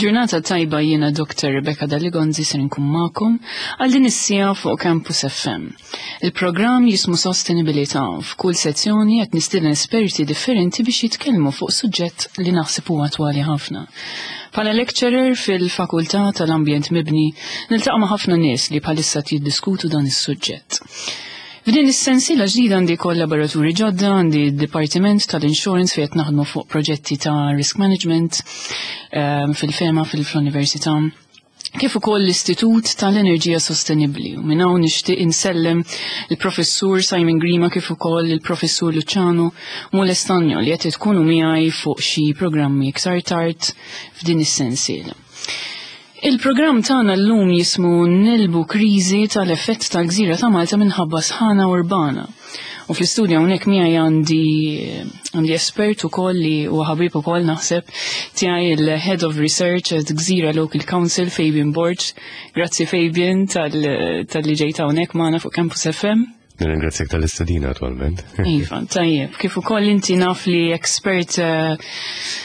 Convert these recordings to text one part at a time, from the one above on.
Il-ġurnata tajba jiena Dr. Rebecca Daligonzi ser nkun magħkom għal din is-siegħa fuq Campus FM. Il-programm jismu Sostenibilità f'kull sezzjoni qed nistieden esperti differenti biex jitkellmu fuq suġġett li naħseb huwa attwali ħafna. Bħala lecturer fil-Fakultà tal-Ambjent Mibni, niltaqa' ma' ħafna nies li bħalissa jiddiskutu dan is-suġġett. F'din is-sensiela ġdida għandi kollaboraturi ġodda, għandi d-Dipartiment tal-Insurance fejn qed naħdmu fuq proġetti ta' risk management ehm, fil-fema fil-Università kif ukoll l-Istitut tal-Enerġija Sostenibbli. U minn hawn nixtieq insellem il-Professur Simon Grima kif ukoll il-Professur Luciano Molestanjo li qed tkunu miegħi fuq xi programmi iktar tard f'din is-sensiela. Il-programm tagħna llum jismu Nelbu kriżi tal-effett tal-gżira ta' Malta minħabba sħana urbana. U fl-istudju hawnhekk miegħi għandi għandi espert ukoll li huwa ħabib ukoll naħseb tiegħi il-Head of Research at Gżira Local Council Fabian Borg. Grazzi Fabian tal-li ġejt hawnhekk magħna fuq Campus FM. Nirringrazzjak tal-istedina attualment. Iva, tajjeb. Kif ukoll inti naf li expert eh,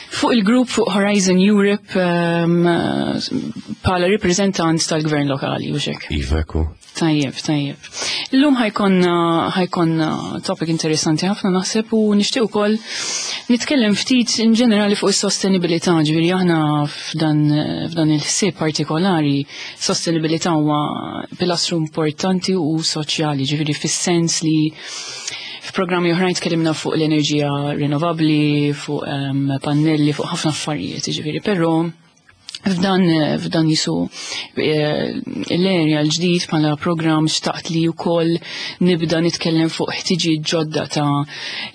fuq il-grupp fuq Horizon Europe ehm, bħala reprezentant tal-gvern lokali u xek. Iva, ku. Tajjeb, tajjeb. Illum ħajkonna ħajkonna topic interessanti ħafna naħseb u nixtieq ukoll nitkellem ftit in ġenerali fuq is-sostenibilità, ġifieri aħna f'dan f'dan il-ħsieb partikolari Sostenibilità huwa pilastru importanti u soċjali, ġifieri fis-sens li f'programmi oħrajn tkellimna fuq l-enerġija rinnovabbli, fuq um, pannelli, fuq ħafna affarijiet, ġifieri, però f'dan f'dan jisu eh, l-erja l-ġdid bħala programm xtaqt li wkoll nibda nitkellem fuq ħtiġijiet ġodda ta'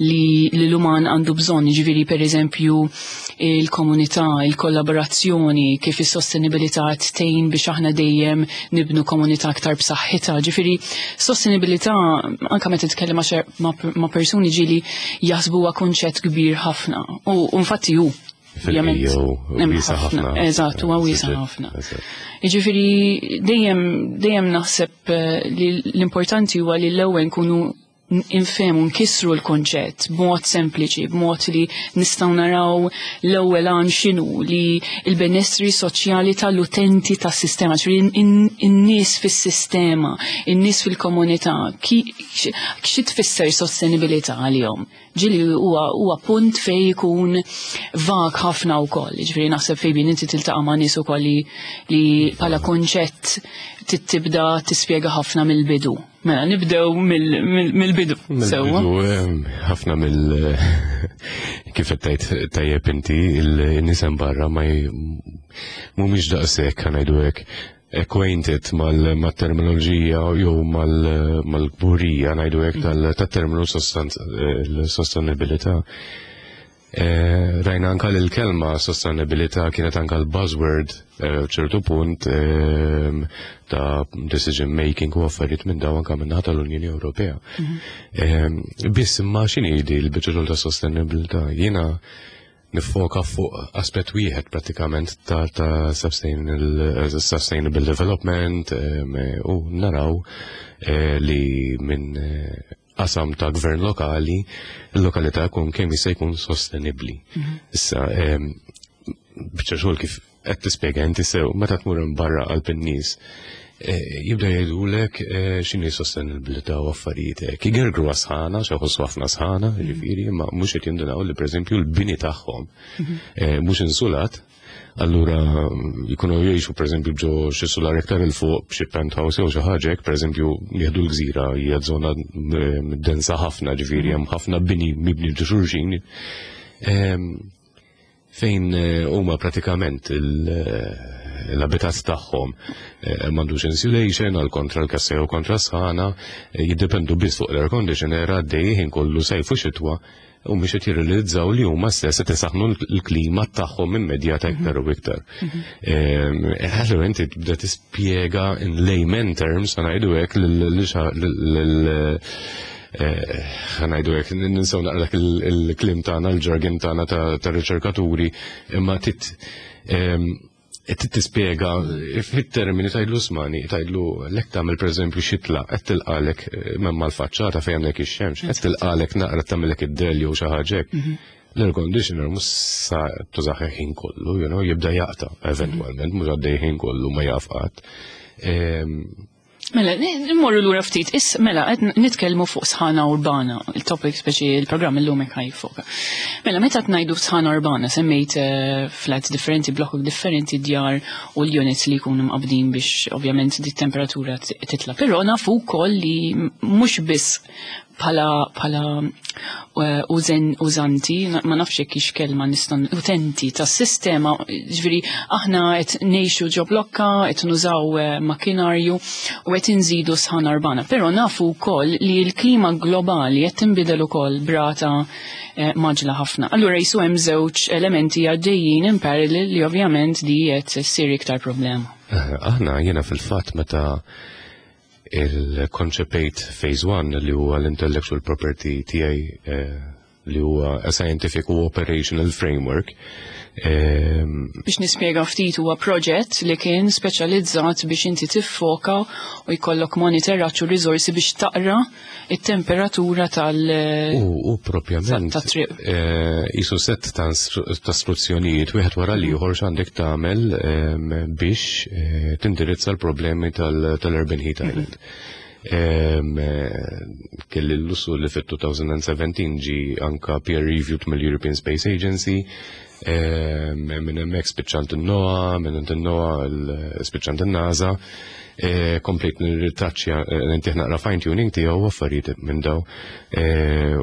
li l-uman għandu bżonn, ġifieri pereżempju il-komunità, il-kollaborazzjoni, kif is-sostenibilità qed tgħin biex aħna dejjem nibnu komunità aktar b'saħħitha. Ġifieri sostenibilità anke meta titkellem ma' persuni ġieli jaħsbuha kunċett kbir ħafna. U infatti hu. Wiesa ħafna. Eżatt, huwa wiesa ħafna. Jiġifieri dejjem dejjem naħseb eh, li l-importanti huwa li l-ewwel nkunu infehmu nkissru l-konċett b'mod sempliċi, b'mod li nistgħu naraw l-ewwel għan x'inhu li l-benessri soċjali tal-utenti tas-sistema, ġifieri in-nies fis-sistema, in-nies fil-komunità, xi tfisser sostenibilità għalihom. Ġieli huwa huwa punt fejn ikun vag ħafna wkoll, ġifieri naħseb fejn bin inti tiltaqa' ma' nies ukoll li li bħala konċett tibda tispjega ħafna mill-bidu. Mela, nibdew mill-bidu. Sewwa. Ħafna mill kif qed tgħid tajjeb inti il-nies hemm barra ma mhumiex daqshekk ngħidu hekk acquainted mal-terminoloġija jew mal-kburija ngħidu hekk tat-terminu sostenibilità. Eh, rajna anka li l-kelma sostenibilità kienet anka l-buzzword eh, ċertu punt eh, ta' decision making u affarijiet minn daw anka minn tal-Unjoni Ewropea. Mhm. Biss imma x'inhi di l-biċċa ta' sostenibilità? Jiena nifoka fuq aspett wieħed pratikament ta', ta sustainable development u naraw li minn qasam ta' gvern lokali, il-lokalità jkun kemm jista' jkun sostenibbli. Mhm. Issa, biċċa xogħol kif qed tispjega inti sew, meta tmur barra qalb in-nies, eh, jibda jgħidulek eh, x'inhi sostenibilità u affarijiet hekk. Igergru sħana, xi ħossu ħafna sħana, mhm. ġifieri, imma mhux qed jindunaw li pereżempju l-bini tagħhom mhm. eh, mhux insulat, Allura jkunu jgħixu pereżempju ġo xi sular iktar il fuq b'xi penthouse jew xi ħaġa hekk pereżempju jieħdu l-gżira hija żona ehm, densa ħafna ġifieri hemm ħafna bini mibni ġo xulxin. Ehm, fejn eh, huma pratikament eh, l-abitat tagħhom eh, m'għandux insulation għal kontra l-kassa jew kontra sħana, jiddependu biss fuq l-air conditioner għaddej ħin kollu sajfu xitwa u mhux qed jirrealizzaw li huma stess qed isaħħnu l-klima tagħhom immedjata iktar u iktar. Mhm. Ehm, allura inti tibda tispjega in layman terms ngħidu hekk lil eh, ngħidu hekk ninsew naqra dak il-klim tagħna, il-jargon tagħna ta' riċerkaturi, imma tit ehm, Qed tispjega fit-termini tgħidlu smani, tgħidlu lek tagħmel pereżempju xitla, qed tilqalek eh, minn mal-faċċata fejn għandek ix-xemx, qed tilqalek naqra tagħmilek id-del jew xi ħaġa hekk. Mhm. L-air conditioner mhux sa tużah ħin kollu, jibda jaqta' eventwalment, mhux għaddej ħin kollu ma jaf qatt. Mela, nimmorru lura ftit. Is, mela, qed nitkellmu fuq sħana urbana, il-topic speċi il-programm illum hekk ħajfoka. Mela, meta tnajdu sħana urbana, semmejt flats differenti, blokok differenti, djar u l-units li jkunu mqabdin biex ovvjament di temperatura titla. Però nafu wkoll li mhux biss bħala użanti, ma nafx jekk hix kelma nista' utenti tas-sistema, ġifieri aħna qed ngħixu ġo blokka, qed nużaw makkinarju u qed inżidu sħana urbana. Però nafu wkoll li l-klima globali qed tinbidel ukoll brata maġla ħafna. Allura jisu hemm żewġ elementi għaddejjin in parallel li ovvjament di qed ssir iktar problema. Aħna jiena fil-fatt meta il-konċepejt Phase 1 li huwa l-intellectual property tiegħi li huwa a scientific u operational framework. Biex nispjega ftit, huwa proġett li kien speċjalizzat biex inti tiffoka u jkollok monitoraġġ u riżorsi biex taqra it-temperatura tal- U propjament, tat-triq. Jisu set ta' istruzzjonijiet wieħed wara l-ieħor x'għandek tagħmel biex tindirizza l-problemi tal-Urban Heat Island. Kelli l-lussu li fit-2017 ġi anka peer reviewed mill-European Space Agency, minn hemmhekk spiċċant in-NOAA, minn in-NOAA spiċċant in-NASA, komplejt nirritaċċja, nintih naqra fine tuning tiegħu u affarijiet minn daw,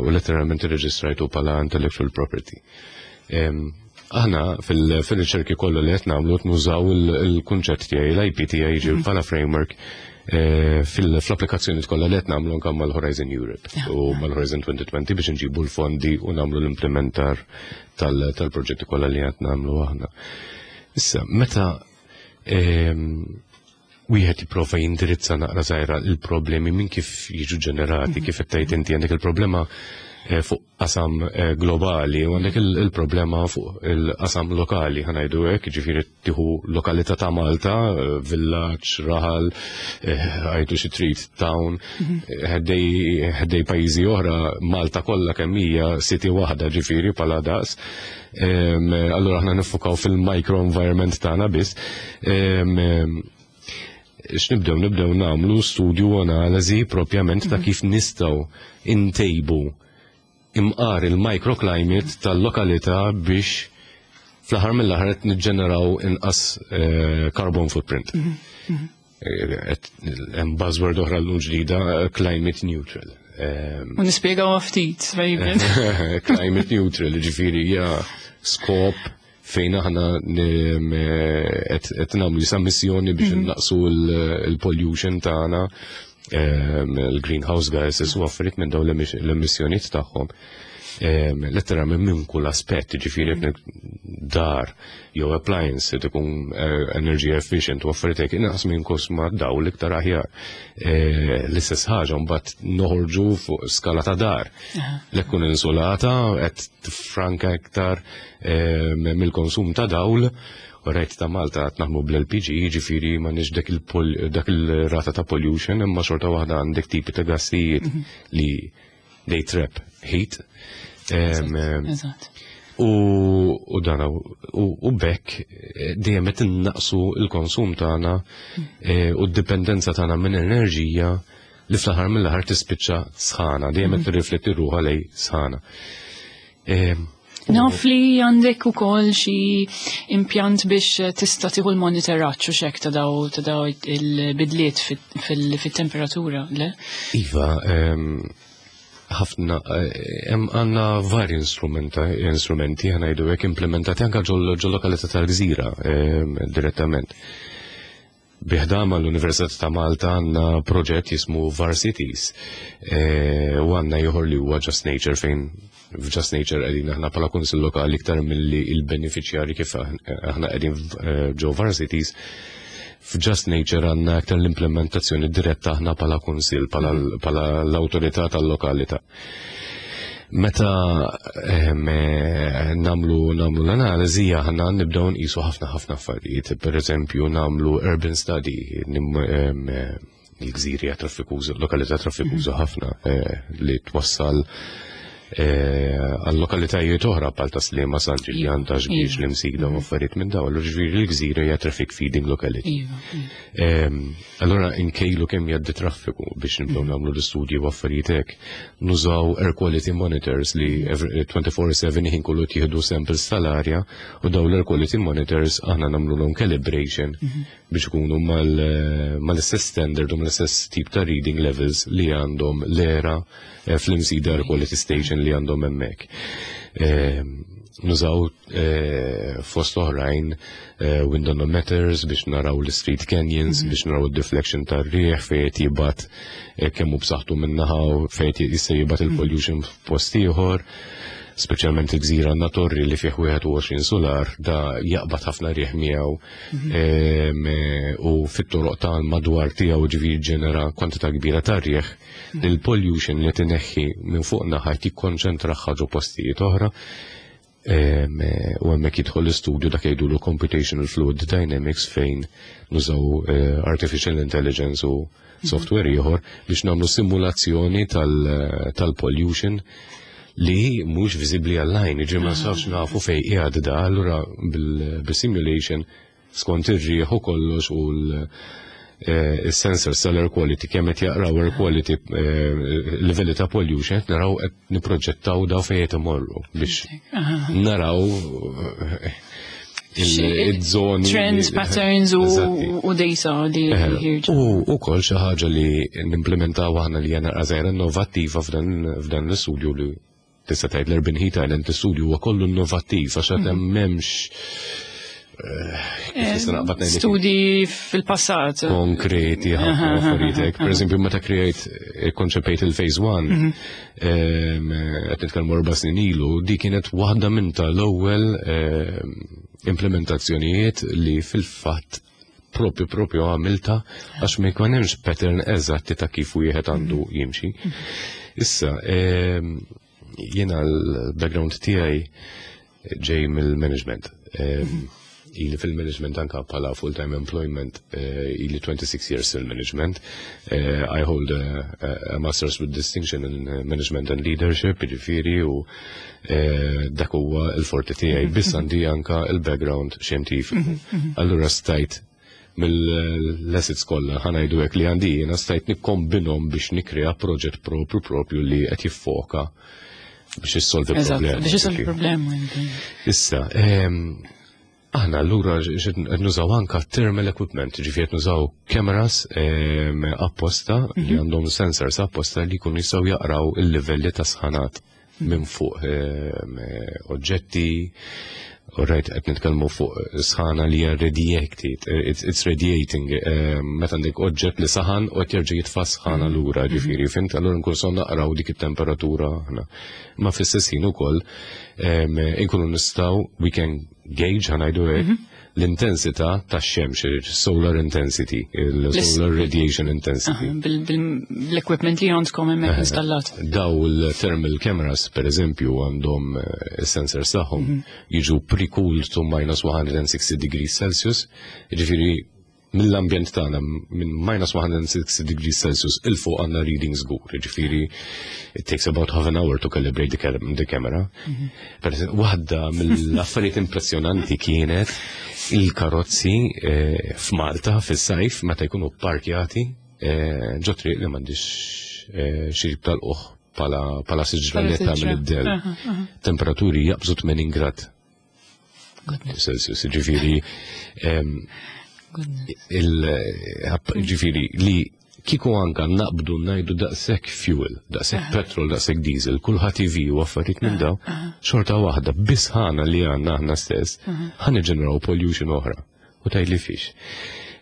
u letteralment irreġistrajtu bħala intellectual property. Aħna fil-riċerki kollha li qed nagħmlu qed nużaw il-kunċett tiegħi, l-IP tiegħi jiġi bħala framework fl-applikazzjoni kollha li qed nagħmlu anke mal-Horizon Europe u mal-Horizon 2020 biex nġibu l-fondi u nagħmlu l-implementar tal-proġetti kollha li qed nagħmlu aħna. Issa, meta wieħed jipprova jindirizza naqra żgħira il-problemi minn kif jiġu ġenerati, kif qed tgħid inti għandek il-problema fuq qasam globali u għandek il-problema fuq il-qasam lokali, ħa ngħidu hekk, jiġifieri tieħu lokalità ta' Malta, villaġġ, raħal, għajdu xi trid town, ħdej pajjiżi oħra, Malta kollha kemm hija city waħda ġifieri bħala daqs. Allura aħna nifukaw fil-micro environment tagħna biss. X'nibdew? Nibdew nagħmlu studju u analiżi propjament ta' kif nistgħu intejbu imqar il-microclimate tal-lokalità biex fl-aħħar mill-aħħar qed niġġeneraw inqas carbon footprint. Hemm buzzword oħra llum ġdida, climate neutral. U nispjegaw ftit, Fabian. Climate neutral, ġifieri hija skop fejn aħna qed nagħmlu jisa missjoni biex innaqsu il-pollution tagħna, il-greenhouse gases u affarijiet minn dawn l-emissjonijiet tagħhom. Letteralment minn kull aspett, ġifieri qed dar jew appliance li tkun energy efficient u affarijiet hekk inqas minn kosma dawl iktar aħjar. L-istess ħaġa mbagħad noħorġu fuq skala ta' dar. Li tkun insulata qed tifranka iktar mill-konsum ta' dawl. U rajt ta' Malta qed naħdmu bl-LPG, jiġifieri m'għandniex dak il-rata ta' pollution, imma xorta waħda għandek tipi ta' gassijiet li they trap heat. U dana, u bekk dejjem qed innaqsu l-konsum tagħna u d-dipendenza tagħna minn enerġija li fl-aħħar mill-aħħar tispiċċa sħana, dejjem qed tirrifletti ruħha lej sħana. Naf li għandek ukoll xi impjant biex tista' tieħu l-monitoraġġ u xek ta' daw il-bidliet fit-temperatura, le? Iva, ħafna, hemm għandna vari instrumenti ħa ngħidu hekk implementati anke ġol lokalità tal-Gżira direttament. Bi ħdan l-Università ta' Malta għandna proġett jismu VARCITIES u għandna ieħor li huwa Just Nature, fejn f'Just Nature qegħdin aħna bħala kunsill lokali iktar milli il-beneficjari kif aħna qegħdin ġo VARCITIES. F'Just Nature għandna aktar l-implementazzjoni diretta aħna bħala kunsill, bħala l-awtorità tal-lokalità. Meta namlu l-analiżi aħna nibdew nqisu ħafna ħafna affarijiet. Per eżempju namlu urban study, il-gżiri trafikuża, lokalità trafikuża ħafna li twassal Għal lokalitajiet oħra bħal ta' Sliema, San Ġiljan, ta' Xbiex, l-Imsida u affarijiet minn dawn, allura ġifieri l-gżira hija traffic feeding locality. Allura nkejlu kemm jgħaddi traffiku biex nibdew nagħmlu l-istudji u affarijiet hekk. Nużaw air quality monitors li 24/7 ħin kollu tieħdu samples tal-arja u dawn l-air quality monitors aħna nagħmluhom calibration biex ikunu mal-istess standard u mal-istess tip ta' reading levels li għandhom l-ERA fl-Imsida Air Quality Station li għandhom hemmhekk. Nużaw fost oħrajn windonometers biex naraw l-street canyons, biex naraw il-deflection tar-riħ fejn qed jibgħat kemm hu b'saħħtu min-naħa u fejn qed jista' jibgħat il-pollution f'post ieħor. Speċjalment il-gżira għandna torri li fih 21 solar, da jaqbad ħafna riħ miegħu u fit-toroq tal-madwar tiegħu, ġifieri ġenera kwantità kbira ta' riħ li l-pollution li tineħħi minn fuq naħa jikkonċentra ħaġa postijiet oħra. U hemmhekk jidħol l-istudju dak jgħidulu computational fluid dynamics, fejn nużaw artificial intelligence u software ieħor biex nagħmlu simulazzjoni tal-pollution li mhux viżibbli għall-għajn, ġi ma safx nafu fej qiegħed da, allura bil-simulation skont ir-riħ u kollox u l-sensor tal-air quality kemm qed jaqraw air quality livelli ta' pollution, qed naraw, qed niproġettaw daw fejn qed imorru biex naraw il-żoni. Trends, patterns u data li ħirġu. U ukoll xi ħaġa li nimplementaw aħna li hija żgħira innovattiva f'dan l-istudju, li tista' tgħid l-Urban Heat Island l-istudju huwa kollu innovattiv għax qed m'hemmx kif nista' naqbad ngħidlek? Studi fil-passat. Konkreti ħafna affarijiet hekk. Per eżempju, meta kreajt, konċepejt il-Phase 1, qed nitkellmu 4 snin ilu, di kienet waħda minn tal-ewwel implementazzjonijiet li fil-fatt propju għamilta għax ma jkun hemmx pattern eżatti ta' kif wieħed għandu jimxi. Issa, jiena l-background tiegħi ġej mill-management. Ili fil-management anka bħala full-time employment, ili 26 years fil-management. I hold a master's with distinction in management and leadership, ġifieri, u dak huwa il-forti tiegħi. Biss għandi anka il-background xjentifiku. Allura stajt mill-assets kollha, ħa ngħidu hekk, li għandi jiena stajt nikkombinhom biex nikrea proġett propju li qed jiffoka biex issolvi problemi. Biex issolvi problemi. Issa, aħna allura qed nużaw anka thermal equipment, ġifieri qed nużaw cameras apposta li għandhom sensors apposta li jkunu jistgħu jaqraw il-livelli ta' sħanat minn fuq oġġetti. Alright, qed nitkellmu fuq sħana li hija radiated, it's radiating, meta għandek oġġett li saħan u qed jerġa' jitfa' sħana lura, ġifieri, fhimt, allura nkun so naqraw dik it-temperatura aħna. Ma fl-istess ħin ukoll inkunu nistgħu, we can gauge, ħa ngħidu hekk, l-intensità tax-xemx, solar intensity, il-solar radiation intensity. Bil-equipment li għandkom hemmhekk installat. Daw il-thermal cameras, per eżempju, għandhom sensors tagħhom jiġu pre-cooled to minus 160 degrees Celsius, ġifieri mill-ambjent tagħna minn minus 160 degrees Celsius 'il fuq għandna reading żgur, ġifieri it takes about half an hour to calibrate the camera. Per waħda mill-affarijiet impressjonanti kienet il-karozzi f'Malta fis-sajf meta jkunu parkjati ġo triq li m'għandix xi tal-qoħ pala siġra li tagħmel id-del. Temperaturi jaqbżu 80 grad Celsius, ġifieri ġifieri li kiku anka naqbdu ngħidu daqshekk fuel, daqshekk petrol, daqshekk diesel, kulħadd EV u affarijiet minn daw, xorta waħda bis-sħana li għandna aħna stess, ħa niġġeneraw pollution oħra. U tgħid li fiex.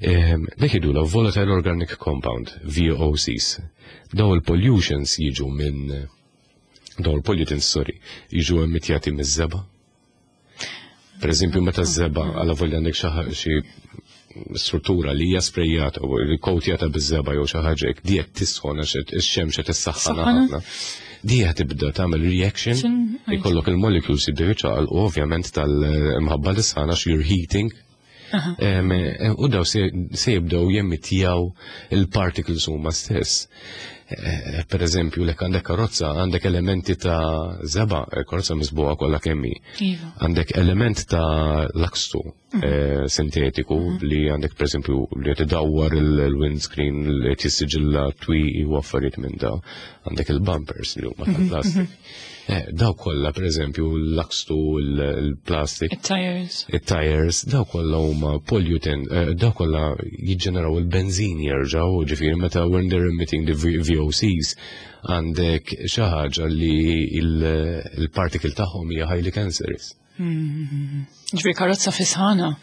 Dak jgħidulha volatile organic compound, VOCs. Daw il-pollutions jiġu minn daw il-pollutants, sorry, jiġu emitjati miż-żebgħa. Per eżempju, meta z-żebgħa għala volja għandek xi struttura li hija sprejjata u li kowtjata biż-żebgħa jew xi ħaġa hekk, di qed tisħon għax ix-xemx qed issaħħan ħafna. Di qed tibda tagħmel reaction, ikollok il-molecules jibdew jiċċaqalqu ovvjament tal-imħabba l-isħana għax you're heating. U daw se jibdew jemmitjaw il-particles huma stess. Per eżempju, lek għandek karozza, għandek elementi ta' żebgħa, karozza miżbugħa kollha kemm hi. Għandek element ta' lakstu sintetiku li għandek, per eżempju, li qed idawwar il-windscreen, li qed jissiġilla twieqi u affarijiet minn daw. Għandek il-bumpers li huma tal-plastik. Daw kollha, per eżempju, l-lakstu, il-plastik. Il-tires. Il-tires, daw kollha huma pollutant, daw kollha jiġġeneraw il-benzin jerġgħu, ġifieri meta when they're emitting the VOCs, għandek xi ħaġa li il-particle tagħhom hija highly cancerous. Ġifieri karozza fisħana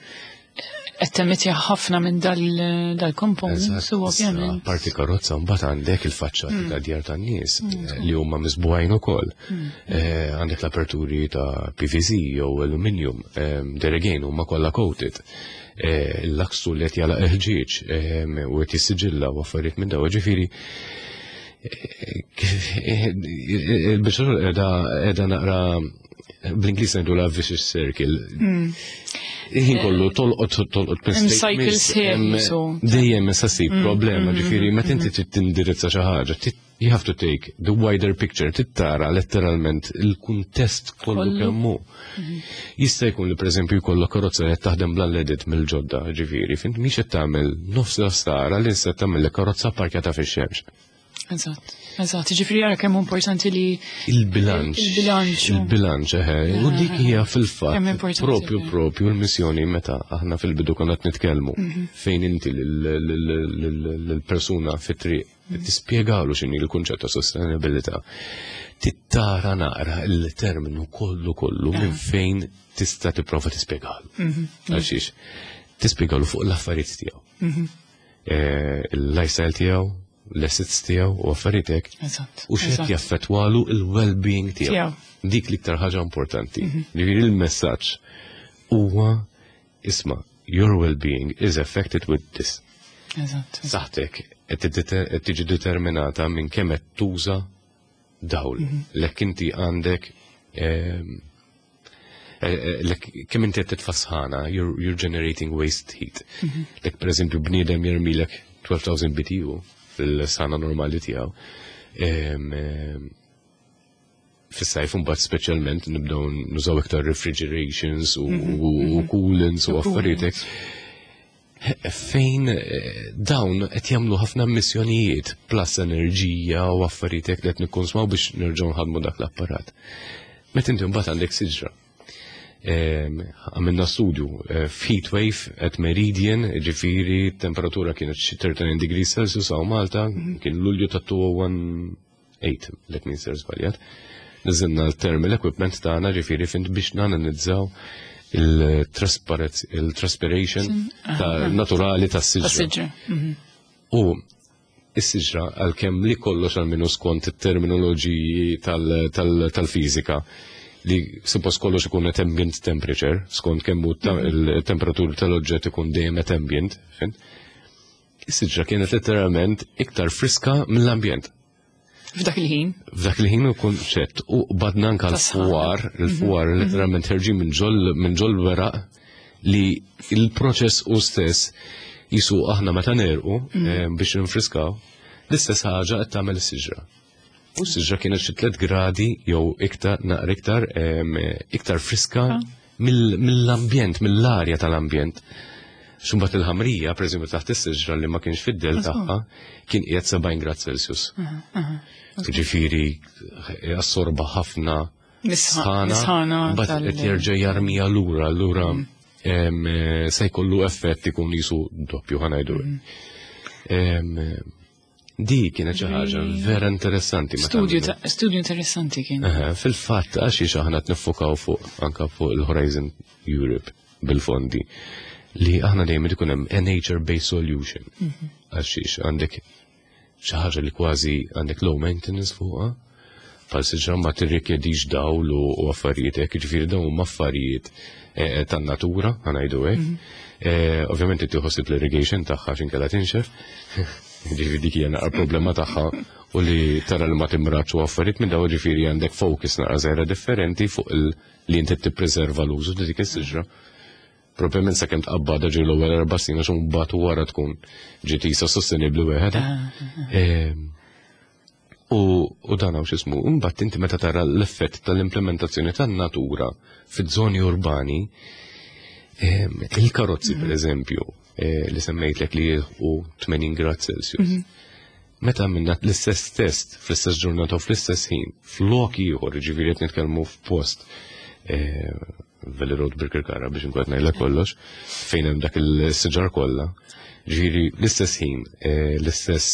qed temetti ħafna minn dal-components u ovvjament. Parti karozza, mbagħad għandek il-faċċati ta' djar tan-nies li huma miżbugħin ukoll. Għandek l-aperturi ta' PVC jew aluminium, there again huma kollha coated. Il-lakstu li qed jagħlaq il-ħġieġ u qed jissiġilla u affarijiet minn daw, ġifieri il-biċċa qiegħda naqra, bl-Ingliż ngħidu la vicious circle. Il-ħin kollu tolqot tolqot Hemm cycle sħiħ, so. Dejjem issa ssib problema, ġifieri meta inti trid tindirizza xi ħaġa, you have to take the wider picture, trid tara letteralment il-kuntest kollu Kollu. kemm hu. Jista' jkun li, pereżempju, jkollok karozza li qed taħdem bl-unleaded mill-ġodda, ġifieri, fint mhix qed tagħmel nofs l-ħsara li issa tagħmel karozza parkjata fix-xemx. Eżatt. Ġifieri jara kemm importanti li Il-bilanċ. Il-bilanċ. Il-bilanċ, eħe. U dik hija fil-fatt Kemm importanti, propju l-missjoni meta aħna fil-bidu konna qed nitkellmu fejn inti lill-persuna fit-triq tispjegalu x'inhi l-kunċett ta' sostenibilità. Tittara naqra il-terminu kollu kollu minn fejn tista' tipprova tispjegalu. Għalxiex, tispjegalu fuq l-affarijiet tiegħu. Il-lifestyle tiegħu, l-assets tiegħu u affarijiet hekk. U x'qed jaffettwalu il-well-being tiegħu. Tiegħu. Dik l-iktar ħaġa importanti. Ġifieri il-messaġġ huwa, isma', your well-being is affected with this. Saħtek qed tiġi determinata minn kemm qed tuża dawl. Lek inti għandek lek kemm inti qed titfa' sħana, you're generating waste heat. Lek, per eżempju, bniedem jermilek 12,000 BTU fil-sħana normali tiegħu. Fis-sajf mbagħad speċjalment nibdew nużaw iktar refrigerations u coolants u U affarijiet hekk. Fejn dawn qed jagħmlu ħafna emissjonijiet plus enerġija u affarijiet hekk li qed nikkonsmaw biex nerġgħu nħadmu dak l-apparat. Meta inti mbagħad għandek siġra. Għamilna studju f'heat wave at Meridian, ġifieri temperatura kienet xi 39 degrees Celsius hawn Malta, kien Lulju ta' 2018, lek min ser żbaljat. Niżilna l-thermal equipment tagħna, ġifieri fint biex nanalizzaw il-transpiration ta' naturali tas-siġra. Tas-siġra. U is-siġra, għalkemm li kollox għal skont it-terminoloġiji tal-fiżika li suppost kollox ikun at ambient temperature, skont kemm hu il-temperatur tal-oġġett ikun dejjem at ambient, fin? Is-siġra kienet letteralment iktar friska mill-ambjent. F'dak il-ħin. F'dak il-ħin u kunċett u badna anka Tas-sħana. l-fwar, il-fwar letteralment ħerġin minn ġol weraq li il-proċess u stess jisu aħna meta nerqu biex ninfriskaw, l-istess ħaġa qed tagħmel is-siġra. U s-siġra kienet xi 3 gradi jew iktar, naqra iktar, iktar friska mill-ambjent, mill-arja tal-ambjent. Xumbat il-ħamrija, per eżempju, taħt is-siġra li ma kienx fid-del tagħha, kien qiegħed 70 grad Celsius. Ġifieri assorba ħafna sħana, Sħana mbagħad qed jerġa' jarmija lura, allura se jkollu effett ikun jisu doppju, ħa ngħidu. Di kienet xi ħaġa vera interessanti meta Studju għamilna. Studju interessanti kien. Eħe, fil-fatt għax xi aħna qed niffokaw fuq anka fuq il-Horizon Europe bil-fondi li aħna dejjem ikun hemm a nature-based solution. Għax xiex għandek xi ħaġa li kważi għandek low maintenance fuqha, bħal siġra ma tirrikjedix dawl u affarijiet hekk, jiġifieri dawn huma affarijiet tan-natura, ħa ngħidu hekk. Ovvjament inti tħossib l-irrigation tagħha x'in kellha tinxef. Ġifieri dik hija naqra problema tagħha u li tara li ma timraċ u affarijiet minn dawn, ġifieri għandek focus naqra żgħira differenti fuq li inti tippreserva l-użu ta' dik is-siġra. Probabilment sakemm tqabbadha ġi l-ewwel 4 snin għax imbagħad wara tkun ġiet isa sostenibbli wieħed. U dan hawn x'ismu, imbagħad inti meta tara l-effett tal-implementazzjoni tan-natura fiż-żoni urbani, il-karozzi per eżempju, li semmejtlek li jilħqu 80 grad Celsius. Meta għamilna l-istess test fl-istess ġurnata u fl-istess ħin, flok ieħor, ġifieri qed nitkellmu f'post Valley Road Birkirkara biex nkun qed ngħidlek kollox, fejn hemm dak il-siġar kollha. Ġifieri l-istess ħin, l-istess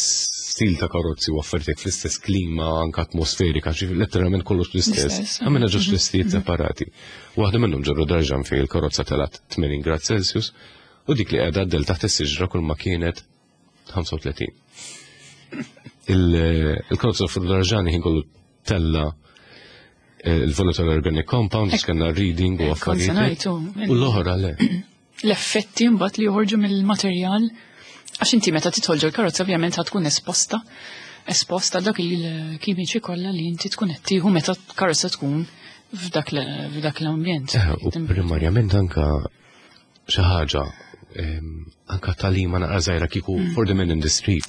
stil ta' karozzi u affarijiet fl-istess klima anke atmosferika, ġifieri letteralment kollox l-istess. Għamilna ġewġ testijiet separati. Waħda minnhom ġo Rhodarjan fejn il-karozza telat 80 grad Celsius u dik li qiegħda għaddel taħt is-siġra kull ma kienet 35. Il-karozza fil-Darġani ħin kollu tella il-volatile organic compounds, kellna reading u affarijiet. U l-oħra le. L-effetti mbagħad li joħorġu mill-materjal, għax inti meta tidħol ġol-karozza ovvjament ħa tkun esposta dak il-kimiċi kollha li inti tkun qed tieħu meta karozza tkun f'dak l-ambjent. U primarjament anka xi ħaġa anka talima naqra żgħira kieku for the man in the street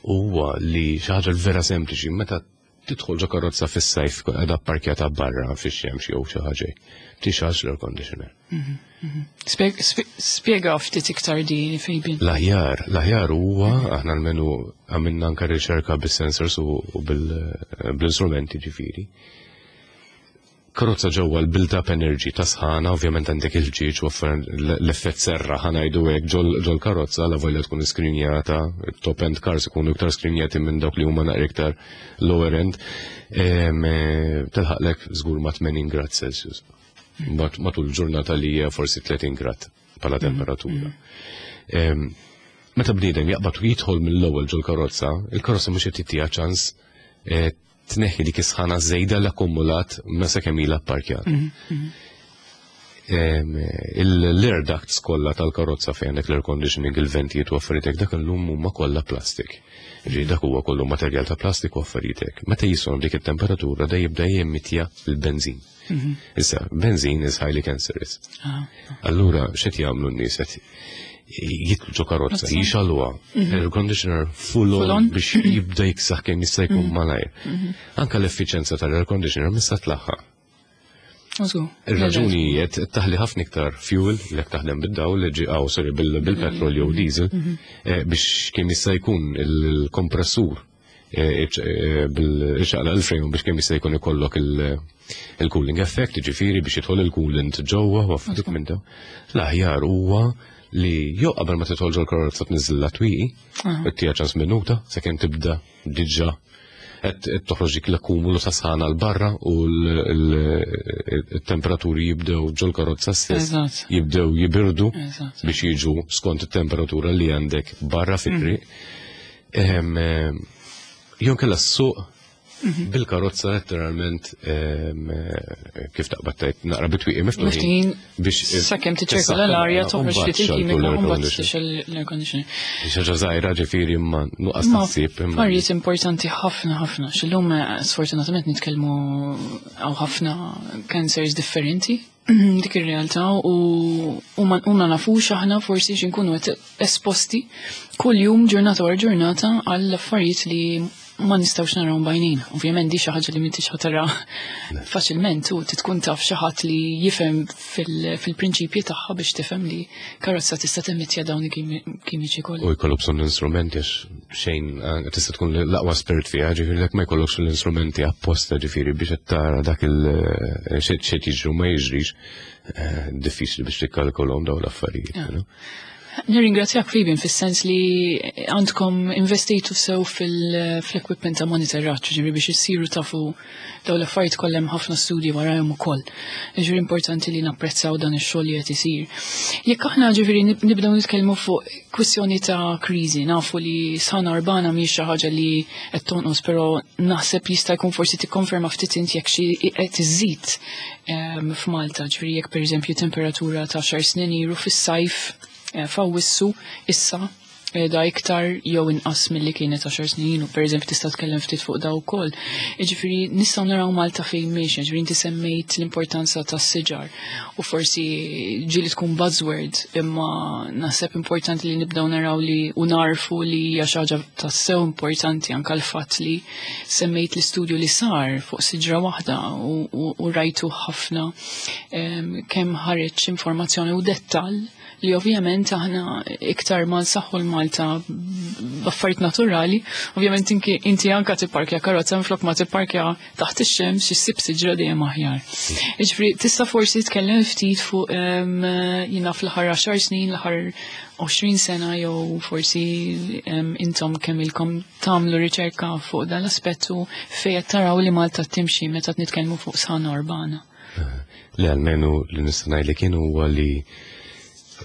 huwa li xi ħaġa vera sempliċi meta tidħol ġo karozza fis-sajf qiegħda pparkjata barra fix-xemx jew xi ħaġa, tixgħelx l-air conditioner. Spjega ftit iktar di, Fabian. L-aħjar huwa aħna almenu għamilna anka riċerka bis-sensors u bl-instrumenti ġifieri. Karozza ġewwa l-build-up energy ta' sħana, ovvjament għandek il-ġieġ u l-effett serra ħa ngħidu hekk ġol karozza la volja tkun skrinjata, top end cars ikunu iktar skrinjati minn dawk li huma naqra iktar lower end, tilħaqlek żgur ma' 80 grad Celsius. Matul ġurnata li hija forsi 30 grad bħala temperatura. Meta bniedem jaqbad u jidħol mill-ewwel ġol karozza, il-karozza mhux qed tittiha ċans tneħħi dik is-sħana żejda l-akkumulat ma sakemm ilha pparkjat. L-air ducts kollha tal-karozza fejn għandek l-air conditioning, il-ventijiet u affarijiet, dak illum huma kollha plastik. Ġi dak huwa kollu materjal ta' plastik u affarijiet. Meta jisgħon dik it-temperatura da jibda jemmitja l-benzin. Issa, benzin is highly cancerous. Allura, x'qed jagħmlu n-nies qed jidħlu ġo karozza, jixgħeluha, air conditioner full on biex jibda jiksaħ kemm jista' jkun malajr. Anka l-effiċenza tal-air conditioner mista tlaħħaq. Ir-raġuni jiet taħli ħafna iktar fuel li taħdem bid-dawl li ġi aw sorry bil-petrol jew diesel biex kemm jista' jkun il-kompressur bil-xaqla l-frame biex kemm jista' jkun ikollok il-cooling effect, ġifieri biex jidħol il-coolant ġewwa u affarijiet minn dawn. L-aħjar huwa li jew qabel ma tidħol ġol karozza tniżżilha twieqi, ttiha ċans minuta sakemm tibda diġà qed toħroġ dik l-akkumulu ta' sħana 'l barra u l-temperaturi jibdew ġol karozza stess jibdew jibirdu biex jiġu skont it-temperatura li għandek barra fit-triq. Jew kellha s-suq bil-karozza letteralment kif taqbad tgħid naqra bitwieqi miftuħin biex sakemm tiċċirkola l-arja toħroġ ftit il-kimika u mbagħad tixgħel l-air conditioner. Xi ħaġa żgħira ġifieri imma nuqqas taħsib. Affarijiet importanti ħafna ħafna. X'illum sfortunatament nitkellmu hawn ħafna cancers differenti dik ir-realtà u ma nafux aħna forsi x'inkunu qed esposti kull jum ġurnata wara ġurnata għall affarijiet li ma nistgħux narawhom b'għajnejna. Ovvjament di xi ħaġa li m'intix ħa tara faċilment u tkun taf xi ħadd li jifhem fil-prinċipji tagħha biex tifhem li karozza tista' temmittja dawn il-kimiċi kollha. U jkollok bżonn l-instrumenti għax xejn tista' tkun l-aqwa spirit fiha, ġifieri jekk ma jkollokx l-instrumenti apposta ġifieri biex qed tara dak il xejn jiġri u ma jiġrix, diffiċli biex tikkalkulhom dawn l-affarijiet. Nirringrazzjak Fabian fis-sens li għandkom investitu sew fil-equipment ta' monitoraġġ, ġifieri biex issiru tafu dawn l-affarijiet kollha hemm ħafna studji warahom ukoll. Ġifieri importanti li napprezzaw dan ix-xogħol li qed isir. Jekk aħna ġifieri nibdew nitkellmu fuq kwistjoni ta' kriżi, nafu li sħana urbana mhix xi ħaġa li qed tonqos, però naħseb jista' jkun forsi tikkonferma ftit int jekk xi qed iżid f'Malta, ġifieri jekk pereżempju temperatura ta' xar snin ilu fis-sajf f'Awwissu issa Qiegħda iktar jew inqas milli kienet 10 snin ilu, pereżempju tista' tkellem ftit fuq daw ukoll. Jiġifieri nistgħu naraw Malta fejn miexja, jiġifieri inti semmejt l-importanza tas-siġar u forsi ġieli tkun buzzword imma naħseb importanti li nibdew naraw li u narfu li hija xi ħaġa tassew importanti anke l-fatt li semmejt l-istudju li sar fuq siġra waħda u rajtu ħafna kemm ħareġ informazzjoni u dettall li ovvjament aħna iktar ma nsaħħu l-Malta b'affarijiet naturali, ovvjament inti anka tipparkja karozza minflok ma tipparkja taħt ix-xemx issib siġra dejjem aħjar. Jiġifieri tista' forsi tkellem ftit fuq jiena fl-aħħar 10 snin, l-aħħar 20 sena jew forsi intom kemm ilkom tagħmlu riċerka fuq dan l-aspett u fejn qed taraw li Malta timxi meta nitkellmu fuq sħana urbana. Li almenu li nista' ngħid li kien huwa li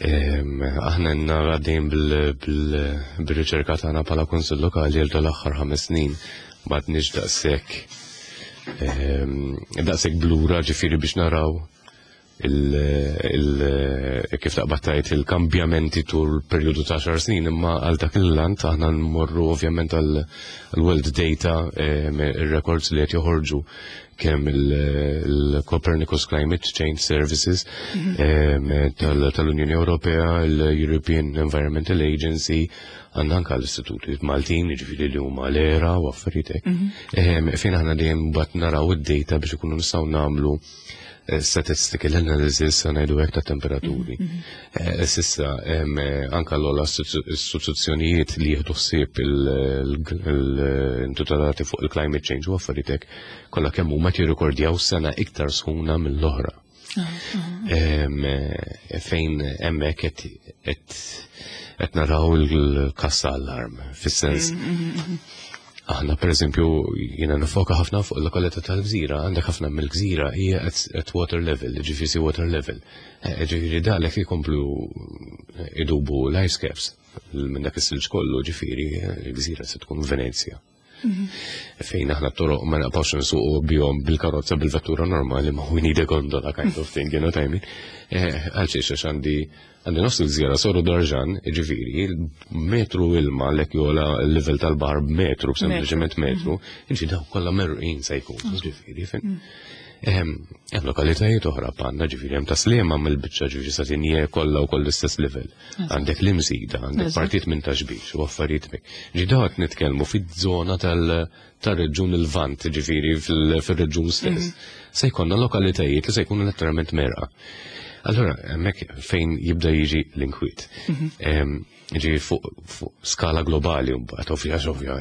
aħna nara dejjem bil-riċerka tagħna bħala Kunsill Lokali għal dal-aħħar 5 snin m'għadniex daqshekk blura ġifieri biex naraw kif taqbad tgħid il-kambjamenti tul perjodu ta' 10 snin, imma għal dak il-lant aħna nmorru ovvjament għal world data, ir-records li qed joħorġu kemm il-Copernicus Climate Change Services tal-Unjoni Ewropea, l-European Environmental Agency, għandna anka l-istituti Maltin, jiġifieri li huma l-ERA u affarijiet hekk. Fejn aħna dejjem mbagħad naraw id-data biex ikunu nistgħu nagħmlu statistical analysis ngħidu hekk ta' temperaturi. S'issa anka l-ogħla istituzzjonijiet li jieħdu ħsieb il-intitolati fuq il-climate change u affarijiet hekk kollha kemm huma jirrikordjaw sena iktar sħuna mill-oħra. Fejn hemmhekk qed naraw il-kassa allarm, fis-sens aħna per eżempju jiena nifoka ħafna fuq il-lokalità tal-Gżira, għandek ħafna mill-Gżira hija at water level, ġifieri water level. Ġifieri dalek ikomplu idubu l-ice caps minn dak is-silġ kollu, ġifieri l-Gżira se tkun Venezja. Fejn aħna t-toroq ma naqbawx nsuqu bihom bil-karozza bil-vettura normali, ma we need a gondola kind of thing, you know what I mean? Għalxiex, għax għandi nofs il-gżira soru darġan, ġifieri, metru ilma lek jola l-level tal-baħar b'metru, sempliċement metru, inġi daw kollha merqin se jkun, ġifieri, fin. Hemm lokalitajiet oħra bħalna, ġifieri hemm Ta' Sliema mill-biċċa, ġifieri sa tinje kollha wkoll l-istess level. Għandek l-Imsida, għandek partit minn Ta' Xbiex u affarijiet hekk. Ġi daw qed nitkellmu fiż-żona tal-reġjun il-Lvant, ġifieri fil-reġjun stess. Se jkollna lokalitajiet li se jkunu letteralment merqa. Allora, hemmhekk fejn jibda jiġi l-inkwiet. Ġi fuq skala globali, mbagħad ovvja, ovvja,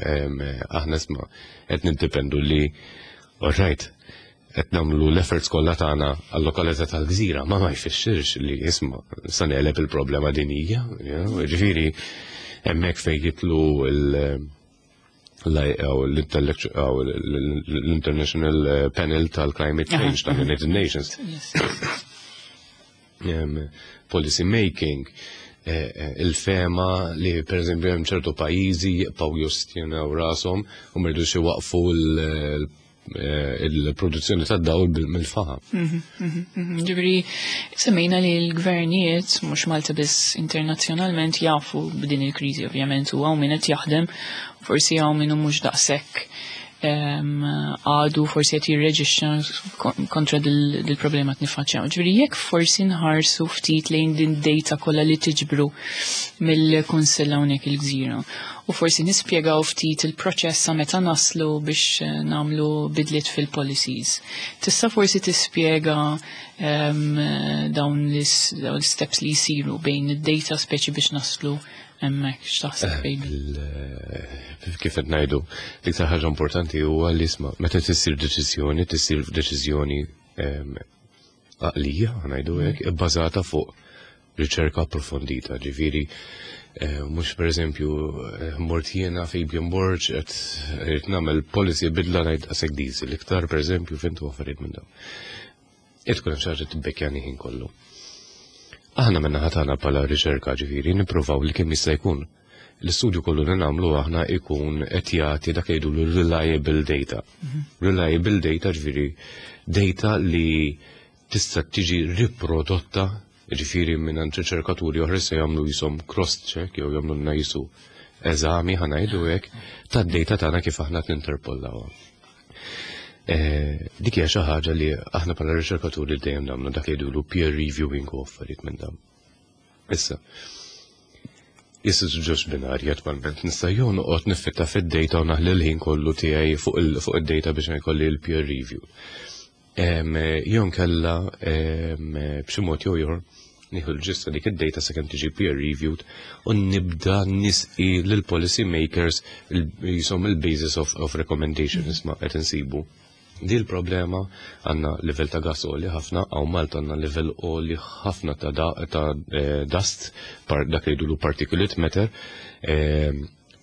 aħna isma' qed niddependu li, all right, qed nagħmlu l-efforts kollha tagħna għall-lokalità tal-gżira, ma jfissirx li isma' sa negħleb il-problema dinija, ġifieri hemmhekk fejn jitlu l-International Panel tal-Climate Change tal-United Nations. Policy making, il-fema li per eżempju hemm ċertu pajjiżi jibqgħu jostjenaw rashom u ma jridux iwaqfu il-produzzjoni tad-dawl mill-faħam. Ġifieri, semmejna li l-gvernijiet, mhux Malta biss internazzjonalment, jafu b'din il-kriżi ovvjament u hawn min qed jaħdem, forsi hawn min mhux daqshekk għadu forsi qed jirreġixxa kontra dil-problema qed niffaċċjaw. Ġifieri jekk forsi nħarsu ftit lejn din data kollha li tiġbru mill-Kunsill hawnhekk il-Gżira u forsi nispjegaw ftit il-proċess sa meta naslu biex nagħmlu bidliet fil-policies. Tista' forsi tispjega dawn l-steps li jsiru bejn id-data speċi biex naslu hemmhekk, x'taħseb fejn? Kif qed ngħidu, l-iktar ħaġa importanti huwa li isma' meta tissir deċiżjoni, tissir deċiżjoni għaqlija, ngħidu hekk, ibbażata fuq riċerka approfondita, ġifieri mhux pereżempju mort jiena Fabian Borg qed irid nagħmel policy bidla ngħid daqshekk diesel, iktar pereżempju fintu affarijiet minn dawn. Qed tkun hemm xi ħaġa tibbekkjani ħin kollu. Aħna minn naħa tagħna bħala riċerka ġifieri nippruvaw li kemm jista' jkun l-istudju kollu li nagħmlu aħna ikun qed jagħti dak jgħidu reliable data. Reliable data ġifieri data li tista' tiġi riprodotta. Ġifieri minn riċerkaturi oħra se jagħmlu jisom cross-check jew jagħmlu lna jisu eżami, ħa ngħidu hekk, tad-data tagħna kif aħna ninterpollawha. Dik hija xi ħaġa li aħna bħala riċerkaturi dejjem nagħmlu, dak li jgħidulu peer reviewing u affarijiet minn dawn. Issa, Issa ġoġ binarji attwalment nista' jew noqgħod niffitta fid-data u naħli l-ħin kollu tiegħi fuq id-data biex jkolli l-peer review. Jew nkella b'xi mod jew ieħor nieħu l-ġista dik id-data sakemm tiġi peer reviewed u nibda nisqi lill-policy makers jisom il-basis of recommendation, isma' qed insibu. Di l-problema, għandna livell ta' gas għoli ħafna, hawn Malta għandna livell għoli ħafna ta' dust, dak li jgħidulu particulate matter.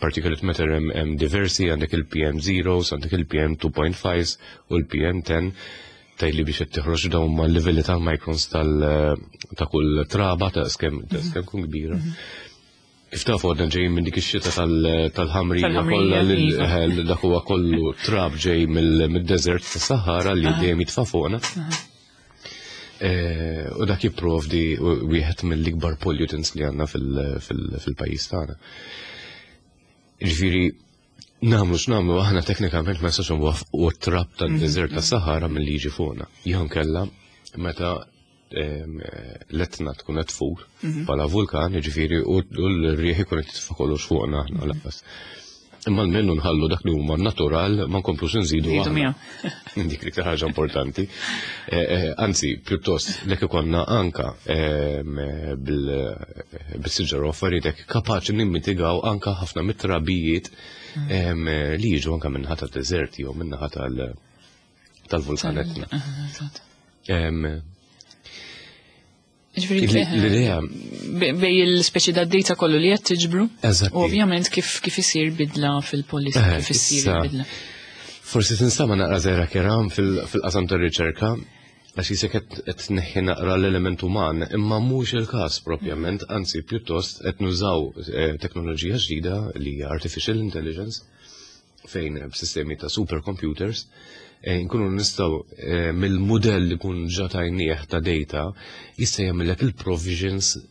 Particulate matter hemm diversi, għandek il-PM zeros, għandek il-PM 2.5 u l-PM 10, tajli biex qed tiħroġ dawn ma' livelli tal-microns ta' kull traba ta' skem ta' skem kun kbira. Kif tafu, għadna ġejjin minn dik ix-xita tal-ħamrija kollha li dak huwa kollu trab ġej mid-desert ta' Sahara li dejjem jitfa' fuqna. U dak jipprovdi wieħed mill-ikbar pollutants li għandna fil-pajjiż tagħna. Ġifieri nagħmlu x'nagħmlu aħna, teknikament ma nistax nwaffqu t-trab tad-desert ta' Sahara milli jiġi fuqna. Jew kella meta l-Etna tkun qed tfur bħala vulkan, jiġifieri u l-rieħ ikun qed jitfa' kollox fuqna aħna lanqas. Imma almenu nħallu dak li huma natural, ma nkomplux nżidu Nżidu aħna. Miegħu. Dik li ħaġa importanti. Anzi, pjuttost, lek ikonna anka bil-siġar u affarijiet hekk kapaċi nimmitigaw anka ħafna mit-trabijiet li jiġu anka min-naħa tad-deżerti jew min-naħa tal-vulkan Etna. Ġifieri L-idea bej il-speċi da data kollu li qed tiġbru. Eżatti. U ovvjament kif isir bidla fil-policy, kif isir bidla. Forsi tinstama naqra żgħira keram fil-qasam tar-riċerka, għax jisek qed tneħħi naqra l-element uman, imma mhux il-każ propjament, anzi pjuttost qed nużaw teknoloġija ġdida li hija artificial intelligence, fejn b'sistemi ta' supercomputers nkunu nistgħu mill-mudell li kun ġa tajnieh ta' data jista' jagħmellek il-provisions,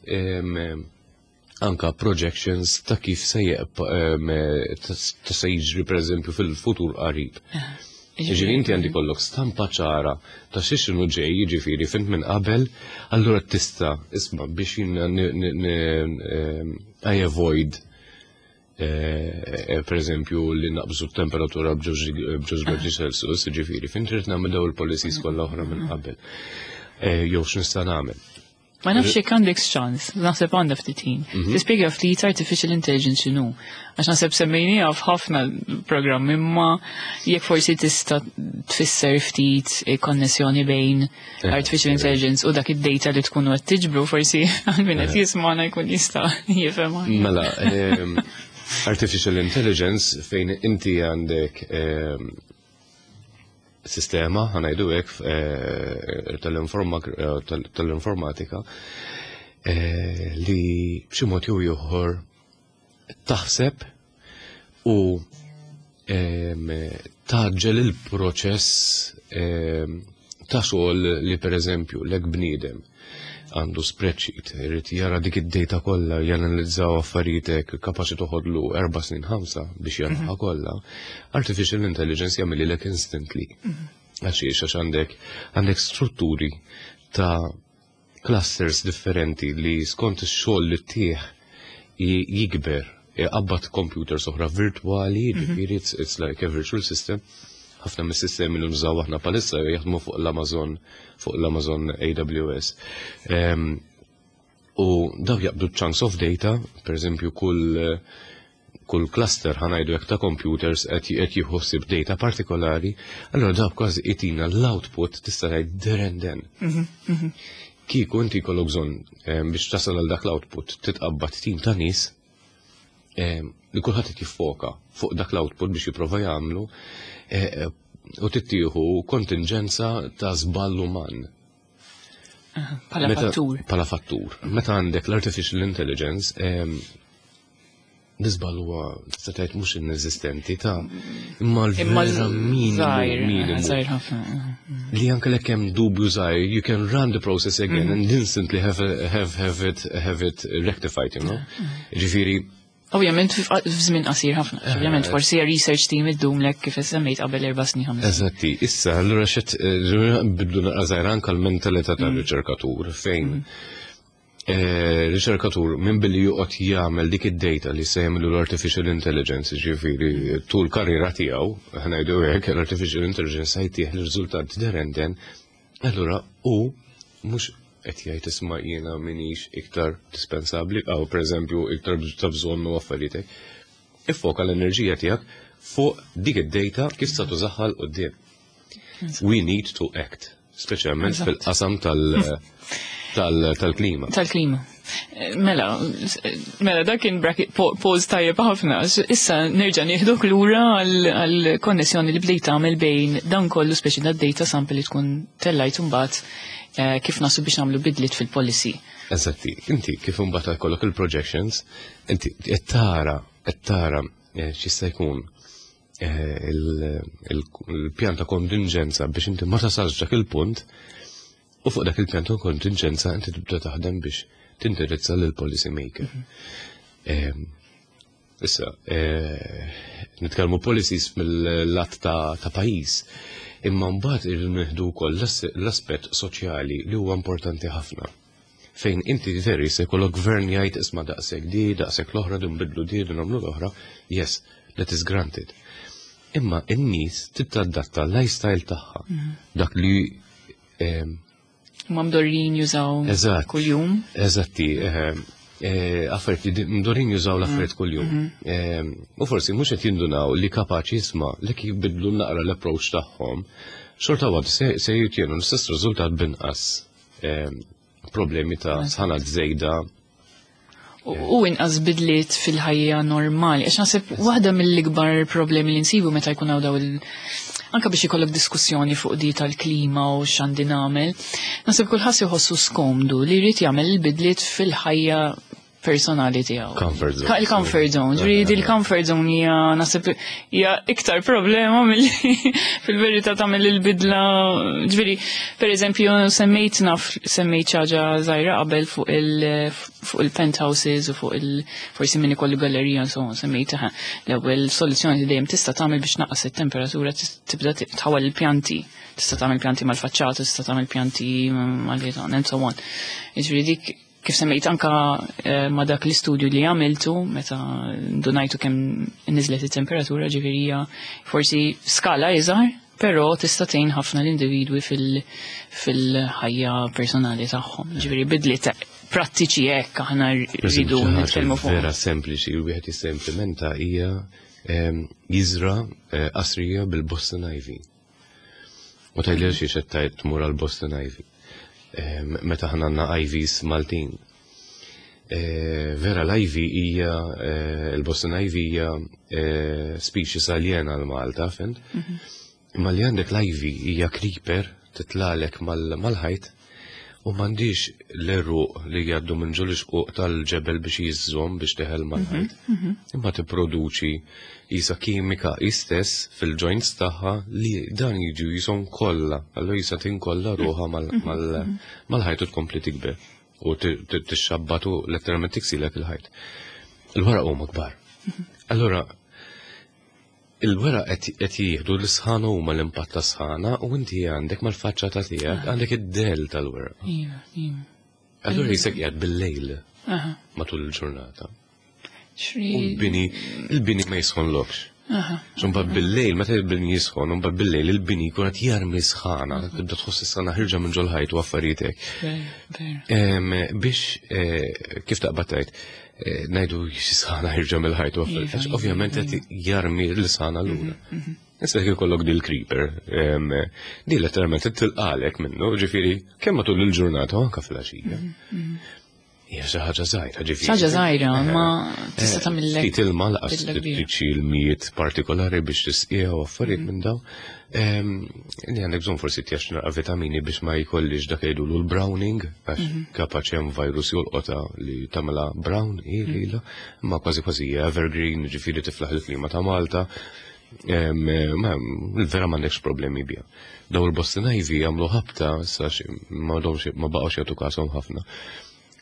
anka projections ta' kif se ta' se jiġri, pereżempju, fil-futur qarib. Ġifieri inti għandi kollok stampa ċara ta' xiex inhu ġej, jiġifieri fint minn qabel, allura tista' isma' biex jien I avoid per eżempju li naqbżu temperatura b'ġewġ gradi Celsius, ġifieri fint trid nagħmel daw il-policies kollha oħra minn qabel. Jew x'nista' nagħmel. Ma nafx jekk għandek ċans, naħseb għandha ftit ħin. Tispjega ftit artificial intelligence x'inhu. Għax naħseb semmejniha f'ħafna programmi, imma jekk forsi tista' tfisser ftit konnessjoni bejn artificial intelligence u dak id-data li tkunu qed tiġbru, forsi għal min qed jismagħna jkun jista' jifhem. Mela, artificial intelligence fejn inti għandek sistema, ħa ngħidu hekk, tal-informatika li b'xi mod jew ieħor taħseb u tgħaġġel il-proċess ta' xogħol li, pereżempju, lek bniedem għandu spreadsheet, irid jara dik id-data kollha, janalizzaw affarijiet, kapaċi toħodlu 4 snin, 5 biex jaraha kollha. Artificial intelligence jagħmilhielek instantly. Għax għandek strutturi ta' clusters differenti li skont ix-xogħol li tih jikber, qabbat computers oħra virtuali, ġifieri it's like a virtual system. Ħafna mis-sistemi li nużaw aħna bħalissa jaħdmu fuq l-Amazon AWS. U daw jaqbdu chunks of data, per eżempju kull cluster, ħa ngħidu hekk, ta' computers qed jieħu data partikolari, allora daw kważi itina l-output, tista' tgħid, there and then. Kieku inti jkollok bżonn biex tasal għal dak l-output titqabbad tim ta' nies li kulħadd qed jiffoka fuq dak l-output biex jipprova jagħmlu u tittieħu kontingenza ta' żball uman. Pala fattur. Pala fattur. Meta għandek l-artificial intelligence, l-iżball huwa, tista' tgħid, mhux inesistenti ta' imma Imma l-vera minimu żgħir, minimu. żgħir ħafna. Li anke lek hemm dubju żgħir, you can run the process again and instantly have it rectified. Ġifieri, Ovvjament f'żmien qasir ħafna. Ovvjament forsi research team iddum lek kif semmejt qabel 4 snin, 5. Eżatti, issa allura xet bidlu naqra żgħira anke l-mentalità tar-riċerkatur fejn riċerkatur minn billi joqgħod jagħmel dik id-data li se jagħmlu l-artificial intelligence, ġifieri tul karriera tiegħu, ngħidu hekk, l-artificial intelligence se jtih l-riżultat there and then, allura hu mhux qed jgħid, "Isma', jiena minix iktar dispensabbli," aw pereżempju iktar ta' bżonn u affarijiet hekk. Iffoka l-enerġija tiegħek fuq dik id-data kif se tużaha 'l quddiem. We need to act, speċjalment fil-qasam tal-klima. Tal-klima. Mela, dak kien bracket pause tajjeb ħafna. Issa nerġa' nieħduk lura għall-konnessjoni li bdejt tagħmel bejn dan kollu, speċi da data sample li tkun tellajt, mbagħad kif nasu biex nagħmlu bidliet fil-policy. Eżatti, inti kif imbagħad jkollok il-projections, inti qed tara x'jista' jkun il-pjan ta' kontingenza biex inti ma tasalx dak il-punt u fuq dak il-pjan ta' kontingenza inti tibda taħdem biex tindirizza lil policy maker. Issa, nitkellmu policies mill-lat ta' pajjiż, imma mbagħad irridu nieħdu wkoll l-aspett soċjali li huwa importanti ħafna. Fejn inti veri se jkollok gvern jgħid, "Isma', daqshekk di, daqshekk l-oħra, din bidlu di, din nagħmlu l-oħra," yes, that is granted. Imma n-nies titadatta l-lifestyle tagħha. Dak li Ma mdorrin jużaw kuljum. Eżatti, affarijiet li mdorrin jużaw l-affarijiet kuljum. U forsi mhux qed jindunaw li kapaċi, jisma', li kif bidlu naqra l-approach tagħhom, xorta waħda se jitjenu l-istess riżultat binqas problemi ta' sħana żejda. U inqas bidliet fil-ħajja normali. Għax naħseb waħda mill-ikbar problemi li nsibu meta jkun hawn daw il anka biex ikollok diskussjoni fuq di tal-klima u x'għandi nagħmel, naħseb kulħadd jħossu skomdu li jrid jagħmel il-bidliet fil-ħajja personali tiegħu. Comfort zone. Il-comfort zone. Ġifieri il-comfort zone hija, naħseb, hija iktar problema milli fil-verità tagħmel il-bidla. Ġifieri, pereżempju, semmejt naf semmejt xi ħaġa żgħira qabel fuq il-penthouses u fuq il forsi min ikollu gallerija, insomma, semmejt l-ewwel soluzzjoni li dejjem tista' tagħmel biex naqqas it-temperatura, tibda tħawwel il-pjanti. Tista' tagħmel pjanti mal-faċċata, tista' tagħmel pjanti mal-ħitan and so on. Ġifieri dik kif semmejt anka ma dak l-istudju li għamiltu meta ndunajtu kemm niżlet it-temperatura, ġifieri hija forsi skala iżgħar, però tista' tgħin ħafna l-individwi fil-ħajja personali tagħhom. Ġifieri bidliet prattiċi hekk aħna rridu nitkellmu fuq. Vera sempliċi li wieħed jista' implementa hija jiżra qasrija bil-Boston Ivy. U tgħidli xi xettajt tmur għal Boston Ivy? Meta ħna għandna Ivies Maltin. Vera l-Ivy hija il-Boston Ivy hija species aljena għal Malta, fhimt? Imma li għandek l-Ivy hija creeper titlalek mal-ħajt u m'għandix l-għeruq li jgħaddu minn ġol ixquq tal-ġebel biex jiżżom biex teħel mal-ħajt. Imma tipproduċi jisa kimika istess fil-joints tagħha li dan jiġu jisom kollha, allura jisa tinkolla ruħha mal-ħajt u tkompli tikber u tixxabbatu, letteralment tiksilek il-ħajt. Il-weraq huma kbar. Allura il-weraq qed jieħdu l-sħana huma l-impatt ta' sħana u inti għandek mal-faċċata tiegħek għandek id-del tal-weraq. Iva, iva. Allura jisek qiegħed bil-lejl matul il-ġurnata. U l-bini ma jisħonlokx. Mbagħad bil-lejl, meta il-bini jisħon, mbagħad bil-lejl il-bini jkun qed jarmi sħana, tibda tħoss is-sħana ħirġa minn ġol-ħajt u affarijiet hekk. Biex kif taqbad tgħid, ngħidu xi sħana ħirġa mill-ħajt u affarijiet. Għax ovvjament qed jarmi l-sħana lura. Issa jekk ikollok dil creeper, di letteralment tilqalek minnu, ġifieri kemm matul il-ġurnata u anke fil-għaxija. Hija xi ħaġa żgħira, ġifieri. Xi ħaġa żgħira, ma tista' tagħmillek. Ftit ilma laqas trid xi ilmijiet partikolari biex tisqiha u affarijiet minn daw. Li għandek bżonn forsi tjax naqra vitamini biex ma jkollix dak jgħidulu l-browning, għax kapaċi hemm virus jolqota li tagħmilha brown hi lilha, imma kważi kważi hija evergreen, ġifieri tiflaħ il-klima ta' Malta. Vera m'għandekx problemi biha. Daw il-Boston Ivy jagħmlu ħabta, issa ma ma baqgħux jagħtu każhom ħafna.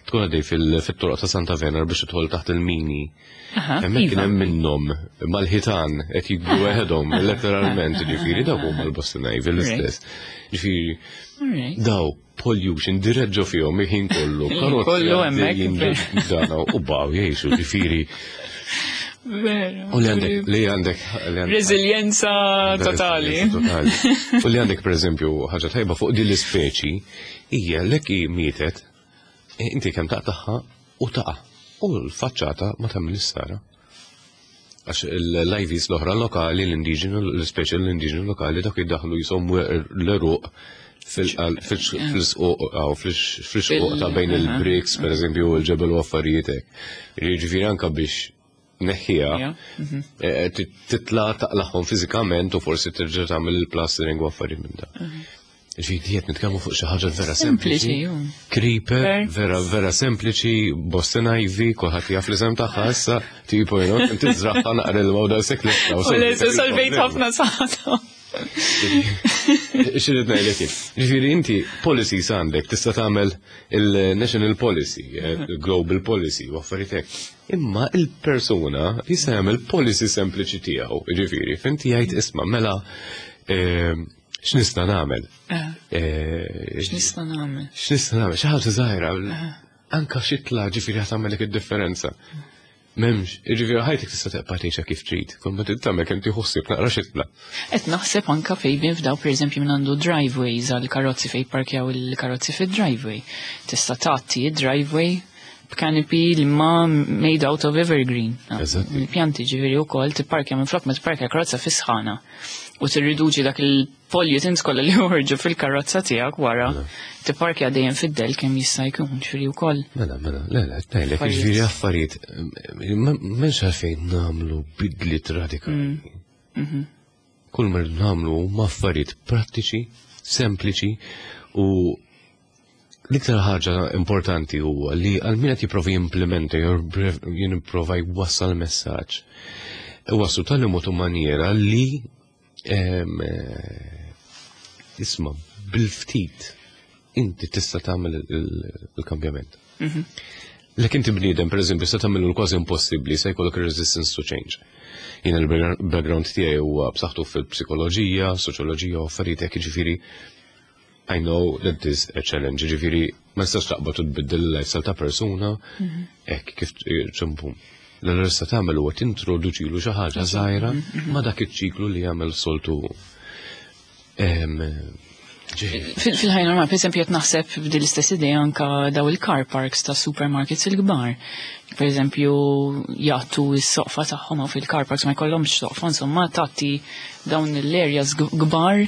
Tkun għaddej fil-toroq ta' Santa Venera biex tidħol taħt il-mini. Hemmhekk kien hemm minnhom mal-ħitan qed jikbru weħedhom, letteralment, ġifieri dawk huma l-Boston Ivy l-istess. Ġifieri daw pollution dirett ġo fihom il-ħin kollu. Kollu hemmhekk. Dana u baw jgħixu ġifieri. U li għandek, li għandek. Resilienza totali. U li għandek, per eżempju, ħaġa tajba fuq din l-ispeċi, hija lek mietet, e, inti kemm taqtaħħa u taqa'. U l-faċċata ma tagħmel sara. Għax l-IVs l-oħra lokali, l-indiġenu, l-ispeċi l-indiġenu lokali, dak jiddaħlu jisom l-eruq fil-squq, fil-xquq ta' bejn il-bricks, per eżempju, il-ġebel u affarijiet hekk. Jiġifieri anka biex neħħija, mhm. eh, titla taqlaħħom fiżikament u forsi terġa' tagħmel il-plastering u affarijiet minn da. Mhm. Ġifieri qed nitkellmu fuq xi ħaġa vera sempliċi. Creeper, vera vera sempliċi, Boston Ivy, kulħadd jaf l-isem tagħha issa, tipo you know, tiżraħħa naqra l-ma u daqshekk l Solvejt ħafna saħħa. Xirrid ngħidlek kif. Ġifieri inti policies għandek tista' tagħmel il-national policy, eh, il-global policy u affarijiet hekk. Imma il-persuna jista' jagħmel policy sempliċi tiegħu, ġifieri, finti jgħid isma' mela eh, x'nista' nagħmel? Eh. Eh, x'nista' nagħmel? X'nista' nagħmel? Xi ħaġa żgħira. Eh. Anka xitla ġifieri ħa tagħmellek id-differenza. M'hemmx, ġifieri ħajtek tista' tibqa' tgħixha kif trid, kull ma trid tagħmel kemm tieħu ħsieb naqra xitla. Qed naħseb anka fejn f'daw pereżempju minn għandu driveways għal karozzi fejn parkjaw il-karozzi fid-driveway. Tista' tagħti driveway b'canopy li ma made out of evergreen. Il-pjanti ġifieri wkoll tipparkja minn flok ma tipparkja karozza fi sħana u tirriduċi dak il-pollutants kollha li joħorġu fil-karozza tiegħek wara mela. tipparkja dejjem fid-del kemm jista' jkun, ġifieri wkoll. Mela, mela, le, le, ngħidlek ġifieri affarijiet m'hemmx għalfejn nagħmlu bidliet radikali. Mm. Mhm. Kull ma nagħmlu huma affarijiet prattiċi, sempliċi u L-iktar ħaġa importanti huwa li għal min qed jipprova jimplementa jew jipprova jwassal messaġġ. Iwasslu tal mod u maniera li eh, isma' bil-ftit inti tista' tagħmel il-kambjament. Mhm. Lek inti bniedem, per eżempju, se tagħmlu kważi impossibbli se jkollok resistance to change. Jiena l-background tiegħi huwa b'saħħtu fil-psikoloġija, soċjoloġija u affarijiet hekk jiġifieri I know that this a challenge, ġifiri, ma nistax taqbad u tbiddel il-lifestyle ta' persuna, mhm. hekk kif ċempum. L-għal tagħmel huwa tintroduċilu xi ħaġa żgħira mhm. ma dak iċ-ċiklu li jagħmel soltu. Fil-ħajja normali, per esempio, qed naħseb b'din l-istess idea anka daw il-car parks ta' supermarkets il-kbar. Per eżempju, jagħtu s-soqfa tagħhom fil-car parks ma jkollhomx soqfa, insomma, tagħti dawn l-areas kbar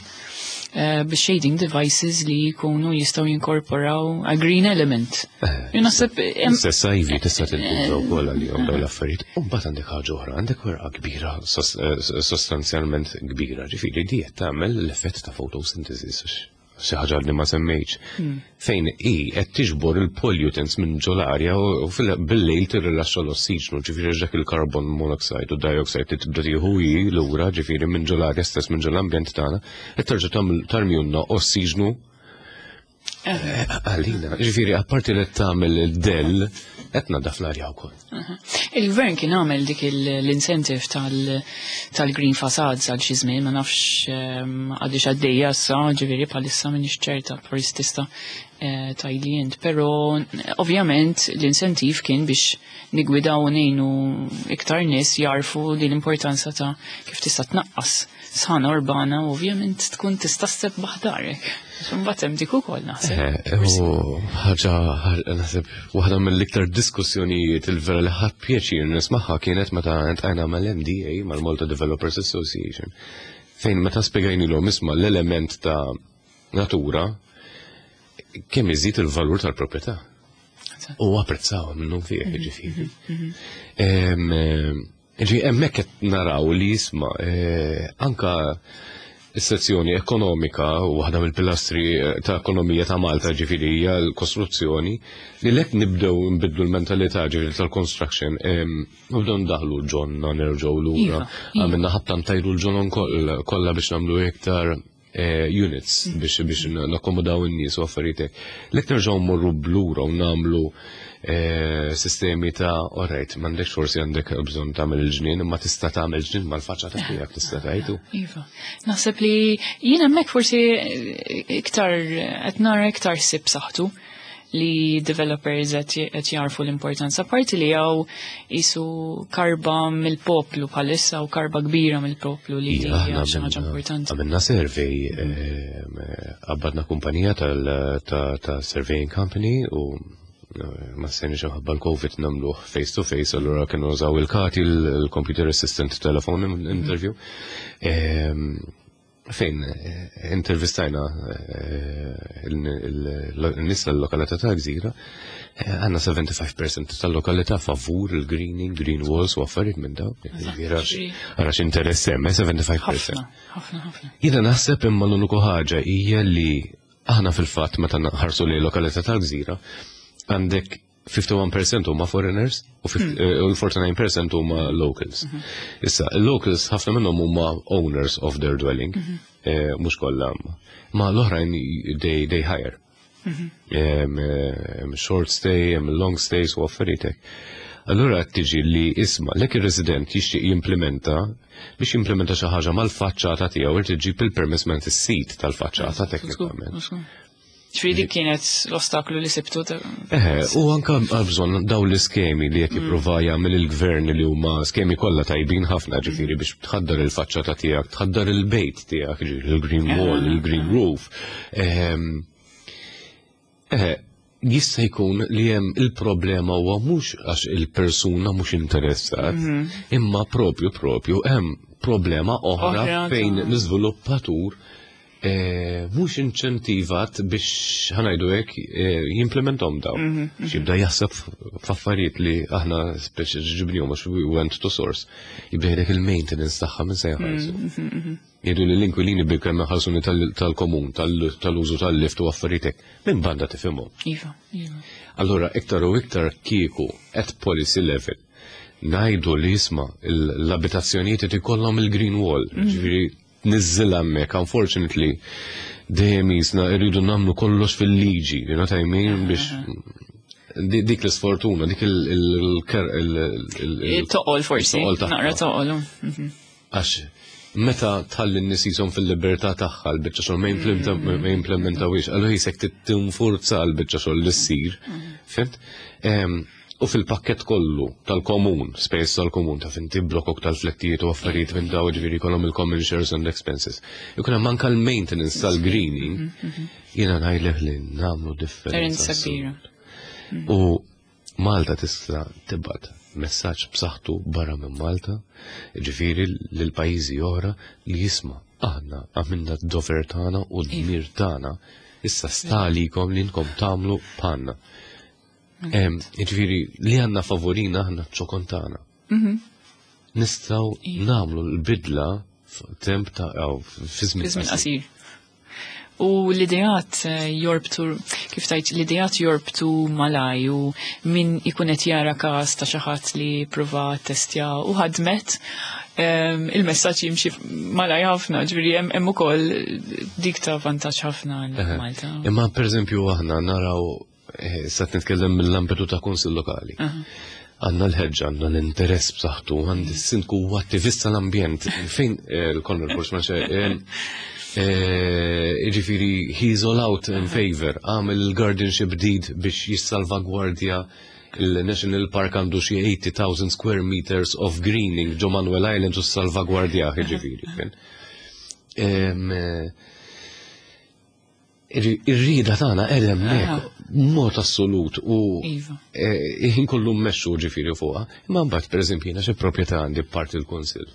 Eh, bi shading devices li jkunu jistaw jinkorporaw a green element. Eh, naħseb Stess ivy tista' tintuża wkoll għalihom dawn l-affarijiet. U mbagħad għandek ħaġa oħra, għandek werqa kbira sostanzjalment kbira, ġifieri di qed tagħmel l-effett ta' photosynthesis xi ħaġa li ma semmejtx. Fejn hi qed tiġbor il-pollutants minn ġol-arja u bil-lejl tirrilaxxa l-ossiġnu, ġifieri dak il-carbon monoxide u dioxide li tibda tieħu hi lura, ġifieri minn ġol-arja stess minn ġol-ambjent tagħna, qed terġa' tarmjunna ossiġnu eh, għalina. Ġifieri apparti li tagħmel il-dell, qed naddaf l-arja wkoll. Il-gvern kien għamel dik l-incentive tal-green facades għal xi żmien, ma nafx ehm, għadix għaddejja issa, ġifieri bħalissa m'iniex ċerta forsi tista' eh, tgħidli int, però ovvjament l-incentive kien biex nigwidaw u ngħinu iktar nies jarfu din l-importanza ta' kif tista' tnaqqas sħana urbana u ovvjament tkun tista' ssebbaħ darek. Imbagħad hemm dik ukoll naħseb. Eh, u ħaġa naħseb waħda mill-iktar diskussjonijiet il-vera li ħadd pjaċir nismagħha kienet meta ntqajna mal-MDA mal-Malta Developers Association fejn meta spjegajnilhom isma' l-element ta' natura kemm iżid il-valur tal-proprjetà. U apprezzaw minnu fih, mhm, ġifieri. Mhm, mhm. Ġi, hemmhekk qed naraw li jisma' eh, anka Is-sezzjoni ekonomika u waħda mill-pilastri ta' ekonomija ta' Malta, ġifieri, hija l-kostruzzjoni, li lek nibdew nbidlu l-mentalità, ġifieri, tal-construction, nibdew ndaħlu ġonna, nerġgħu lura. Iva. Għamilna ħabta ntajru l-ġonon kollha biex nagħmlu iktar units biex nakkomodaw in-nies u affarijiet hekk. Lek nerġgħu mmorru blura u nagħmlu sistemi ta' alright, m'għandekx, forsi għandek bżonn tagħmel il-ġnien, imma tista' tagħmel ġnien mal-faċċata tiegħek, tista' tgħidu. Iva. Naħseb li jien hemmhekk forsi iktar qed nara iktar sib saħtu li developers qed jarfu l-importanza, parti li hawn isu karba mill-poplu bħalissa u karba kbira mill-poplu li Ija, hija aħna xi ħaġa importanti. Għamilna survey, qabbadna kumpanija ta' surveying company u ma stajniex ħabba l-Covid nagħmluh face to face, allura kienu użaw il-CATI, il-computer assistant telephone interview. Fejn intervistajna il-nies tal-lokalità ta' Gżira, għandna 75% tal-lokalità favur il-greening, green walls u affarijiet minn dawn. Għarax interess hemm, 75%. Ħafna, ħafna, ħafna. Jiena naħseb imma l-uniku ħaġa hija li aħna fil-fatt meta nħarsu li lokalità tal-Gżira għandek 51% huma foreigners u l-49% huma locals. Issa, locals ħafna minnhom huma owners of their dwelling, mhux kollha, ma l-oħrajn they hire. Short stay, long stays u affarijiet hekk. Allura qed tiġi li isma' lek ir-resident jixtieq jimplementa, biex jimplementa xi ħaġa mal-faċċata tiegħu irid iġib il-permess minn is-sit tal-faċċata teknikament. Ġifieri dik kienet l-ostaklu li sibtu. Eħe, u anka għal bżonn daw l-iskemi li qed jipprova jagħmel il-gvern, li huma skemi kollha tajbin ħafna, ġifieri biex tħaddar il-faċċata tiegħek, tħaddar il-bejt tiegħek, ġifieri il-green wall, il-green roof. Eħe, jista' jkun li hemm il-problema huwa mhux għax il-persuna mhux interessat, imma propju hemm problema oħra Oħra fejn l-iżviluppatur mhux inċentivat biex, ħa ngħidu hekk, jimplementom daw. X'jibda jaħseb f'affarijiet li aħna speċi ġibnihom għax we went to source. Jibda jgħidlek il-maintenance tagħha minn se jħallsu. Jgħidu li l-inkwilini bil kemm ħalsuni tal-komun, tal-użu tal-lift u affarijiet hekk. Minn banda tifhimhom. Iva, iva. Allura, iktar u iktar kieku at policy level ngħidu li jisma' l-abitazzjonijiet qed ikollhom il-green wall, ġifieri niżżilha hemmhekk. Unfortunately, dejjem jisna rridu nagħmlu kollox fil-liġi, you know what I mean, biex dik l-isfortuna, dik il Toqol forsi, toqol tagħha. Naqra toqol. Għax meta tħalli n-nies jisom fil-libertà tagħha l-biċċa xogħol ma jimplementawiex, allura jisek tinfurza l-biċċa xogħol li ssir. Fhimt? U fil-pakket kollu tal-komun, space tal-komun, ta' finti blokok tal-flettijiet u affarijiet minn daw, ġifieri kollhom il-common shares and expenses. Ikun hemm anke l-maintenance tal-greening, jiena ngħidlek li nagħmlu differenza. Differenza kbira. U Malta tista' tibgħat messaġġ b'saħħtu barra minn Malta, ġifieri lil pajjiżi oħra, li jisma' aħna għamilna d-dover tagħna u d-dmir tagħna, issa sta għalikom li nkom tagħmlu bħalna. Ġifieri li għandna favorina aħna ċokon tagħna. Nistgħu nagħmlu l-bidla f'temp ta' aw, fi żmien Fi żmien qasir. Qasir. U l-ideat jorbtu, kif tajt, l-ideat jorbtu malaj u min ikun qed jara każ ta' xi ħadd li prova testja u ħadmet, il-messaġġ jimxi malaj ħafna, ġifieri hemm ukoll dik ta' vantaġġ ħafna għal Malta. Imma pereżempju aħna naraw, sa nitkellem mill-ambitu ta' kunsill lokali. Għandna l-ħeġġa, għandna l-interess b'saħħtu, għandi s-sindku huwa attivista l-ambjent. Fejn l-Conrad Force ma ġifieri he's all out in favor, għamel il-guardianship deed biex jissalvagwardja il-National Park, għandu xi 80,000 square meters of greening ġo Manuel Island u salvagwardja ġifieri. Ir-rida tagħna qed hemmhekk mod assolut u ħin kollu mmexxu ġifieri fuqha. Imma mbagħad, pereżempju, jiena xi proprjetà għandi parti l-kunsill.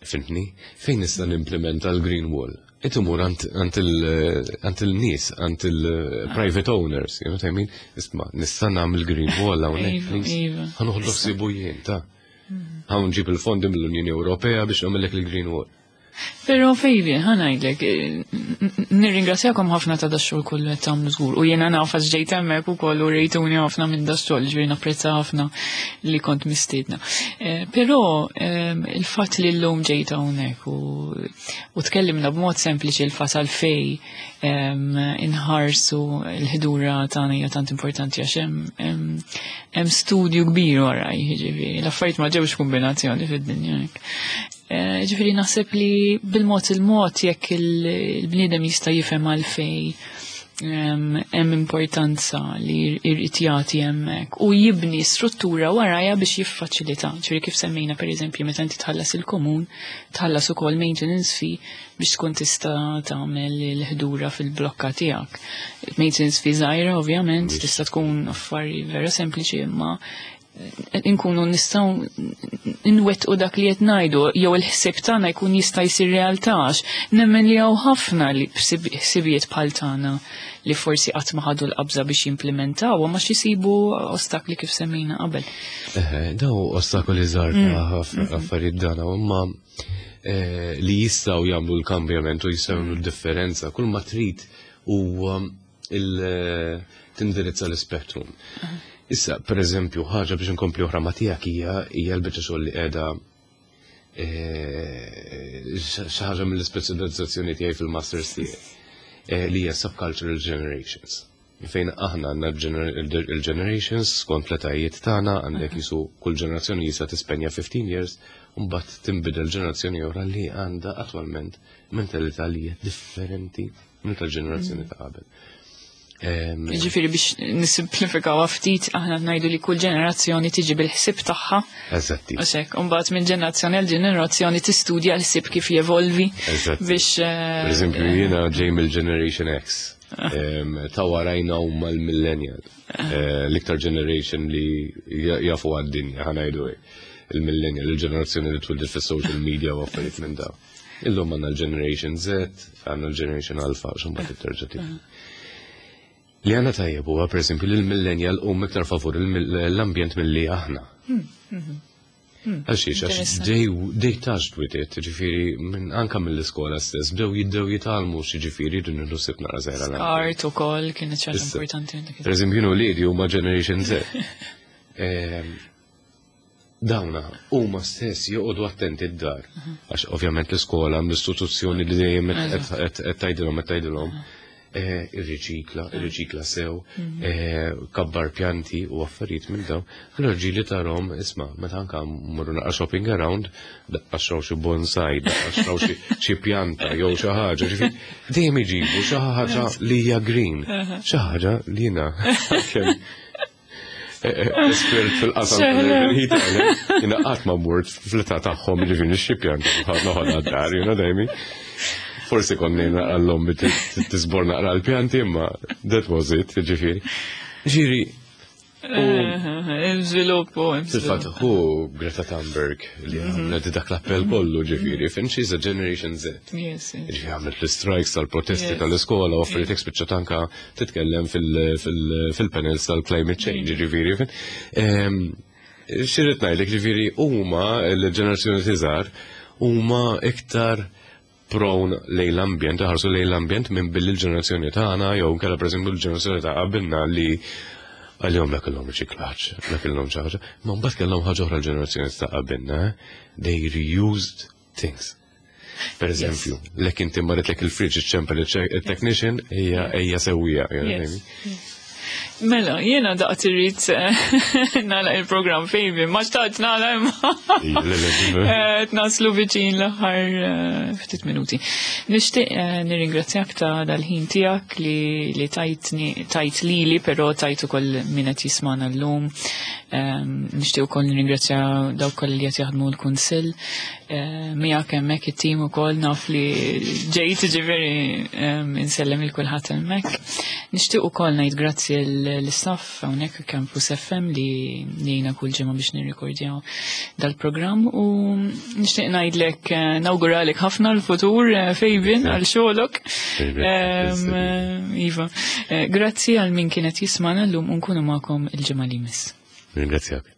Fhimtni? Fejn nista' nimplementa l-green wall? Qed imur għand il-nies, għand il-private owners, you know what I mean? Isma', nista' nagħmel green wall hawnhekk, please. Ħa noħodlok sibu jien, ta' ħa nġib il-fondi mill-Unjoni Ewropea biex nagħmellek il-green wall. Pero Fabian, ħa ngħidlek, nirringrazzjakom ħafna ta' dax-xogħol kollu qed tagħmlu żgur. U jiena naf għax ġejt hemmhekk ukoll u rejtuni ħafna minn dax-xogħol, ġifieri napprezza ħafna li kont mistiedna. Però il-fatt li llum ġejt hawnhekk u tkellimna b'mod sempliċi l-fatt għalfej inħarsu l-ħdura tagħna hija tant importanti għax hemm studju kbir wara, jiġifieri l-affarijiet ma ġewx kombinazzjoni fid-dinja hekk. Ġifieri naħseb li bil-mod il-mod jekk il-bniedem jista' jifhem għalfej hemm importanza li jrid jagħti hemmhekk u jibni struttura warajha biex jiffaċilita. Ġifieri kif semmejna pereżempju meta inti tħallas il-komun, tħallas ukoll maintenance fee biex tkun tista' tagħmel il-ħdura fil-blokka tiegħek. Maintenance fee żgħira ovvjament, tista' tkun affari vera sempliċi imma inkunu nistgħu nwettqu dak li qed ngħidu jew il-ħsieb tagħna jkun jista' jsir realtà għax nemmen li hawn ħafna li ħsibijiet bħal tagħna li forsi qatt ma ħadu l-qabża biex jimplementaw ma xisibu ostakli kif semmejna qabel. Daw ostakoli żgħar ta' affarijiet dana imma li jistgħu jagħmlu l-kambjament u jistgħu jagħmlu d-differenza kull ma trid huwa tindirizza l-spektrum. Issa, per eżempju, ħaġa biex nkompli oħra ma tiegħek hija l-biċċa xogħol li qiegħda xi ħaġa mill-ispeċjalizzazzjoni tiegħi fil-masters tiegħi li hija subcultural generations. Fejn aħna għandna il-generations skont l-etajiet tagħna għandek jisu kull ġenerazzjoni jista' tispenja 15 years u mbagħad tinbidel ġenerazzjoni oħra li għandha attwalment mentalità li hija differenti minn tal-ġenerazzjoni ta' qabel. Ġifieri biex nisimplifikaw ftit aħna ngħidu li kull ġenerazzjoni tiġi bil-ħsieb tagħha. Eżatti. U hekk, u mbagħad minn ġenerazzjoni għal ġenerazzjoni tistudja l-ħsieb kif jevolvi biex Per eżempju, jiena ġej mill-Generation X. Ta' warajna huma l-millennial. L-iktar generation li jafu għad-dinja, ħa ngħidu hekk. Il-millennial, il-ġenerazzjoni li twildet fis-social media u affarijiet minn dawn. Illum għandna l-Generation Z, għandna l-Generation Alpha, xumma titterġa' tiġi. Li għandna tajjeb huwa per eżempju li l-millennial huma iktar favur l-ambjent milli aħna. Għax għax they touched with it, ġifieri minn anka mill-iskola stess, bdew jibdew jitgħallmu x'jiġifieri din il-ħsieb naqra żgħira l-ambjent. Art ukoll kienet xi ħaġa importanti dik. Per eżempju, jien u wliedi huma Generation Z. Dawna huma stess joqogħdu attenti d-dar. Għax ovvjament l-iskola l-istituzzjoni li dejjem qed tgħidilhom qed tgħidilhom irriċikla, irriċikla sew, kabbar pjanti u affarijiet minn dawn. Allura ġieli tarahom, isma' meta anka mmorru naqra shopping around, daqqa xraw xi bonsai, daqqa xraw xi pjanta jew xi ħaġa, ġifieri dejjem iġibu xi ħaġa li hija green, xi ħaġa li jiena espert fil-qasam tal-heat, jiena qatt ma mort fl-età tagħhom ġifieri nixtri pjanta noħodha d-dar, you know what I mean? Forsi konni naqallhom tisbor naqra l-pjanti, imma that was it, ġifieri. Ġifieri, Żviluppu, Fil-fatt, hu Greta Thunberg li għamlet dak l-appell kollu, ġifieri, fin she's a Generation Z. Ġifieri għamlet l-strikes tal-protesti tal-iskola u affarijiet hekk spiċċat anka titkellem fil-panels tal-climate change, ġifieri. Xi rrid ngħidlek, ġifieri huma l-ġenerazzjoni tiżgħar huma iktar prone lejn l-ambjent, ħarsu lejn l-ambjent minn billi l-ġenerazzjoni tagħna jew nkella pereżempju l-ġenerazzjoni ta' qabilna li għalihom la kellhom riċiklaġġ, la kellhom xi ħaġa, ma mbagħad kellhom ħaġa oħra l-ġenerazzjoni ta' qabilna, they reused things. Per eżempju, lek inti marritlek il-fridge iċċempel il-technician hija ejja sewwija, you know what I mean? Mela, jiena daqt irrid nagħlaq il-programm fejbi, ma xtaqt nagħlaq imma. Ija, le, le, le. Naslu viċin l-aħħar ftit minuti. Nixtieq nirringrazzjak ta' dal-ħin tiegħek li tajt lili, però tajt ukoll min qed jismana llum. Nixtieq ukoll nirringrazzja dawk kollha li qed jaħdmu l-Kunsill. Miegħek hemmhekk it-tim ukoll naf li ġejt ġifieri insellem il kulħadd hemmhekk. Nixtieq ukoll ngħid grazzi l-istaff hawnhekk Campus FM li jgħinna kull ġimgħa biex nirrikordjaw dal-programm u nixtieq ngħidlek nawguralek ħafna l-futur Fabian għal xogħolok. Iva, grazzi għal min kienet jismana llum u nkunu magħkom il-ġimgħa li jmiss. Ringrazzjak.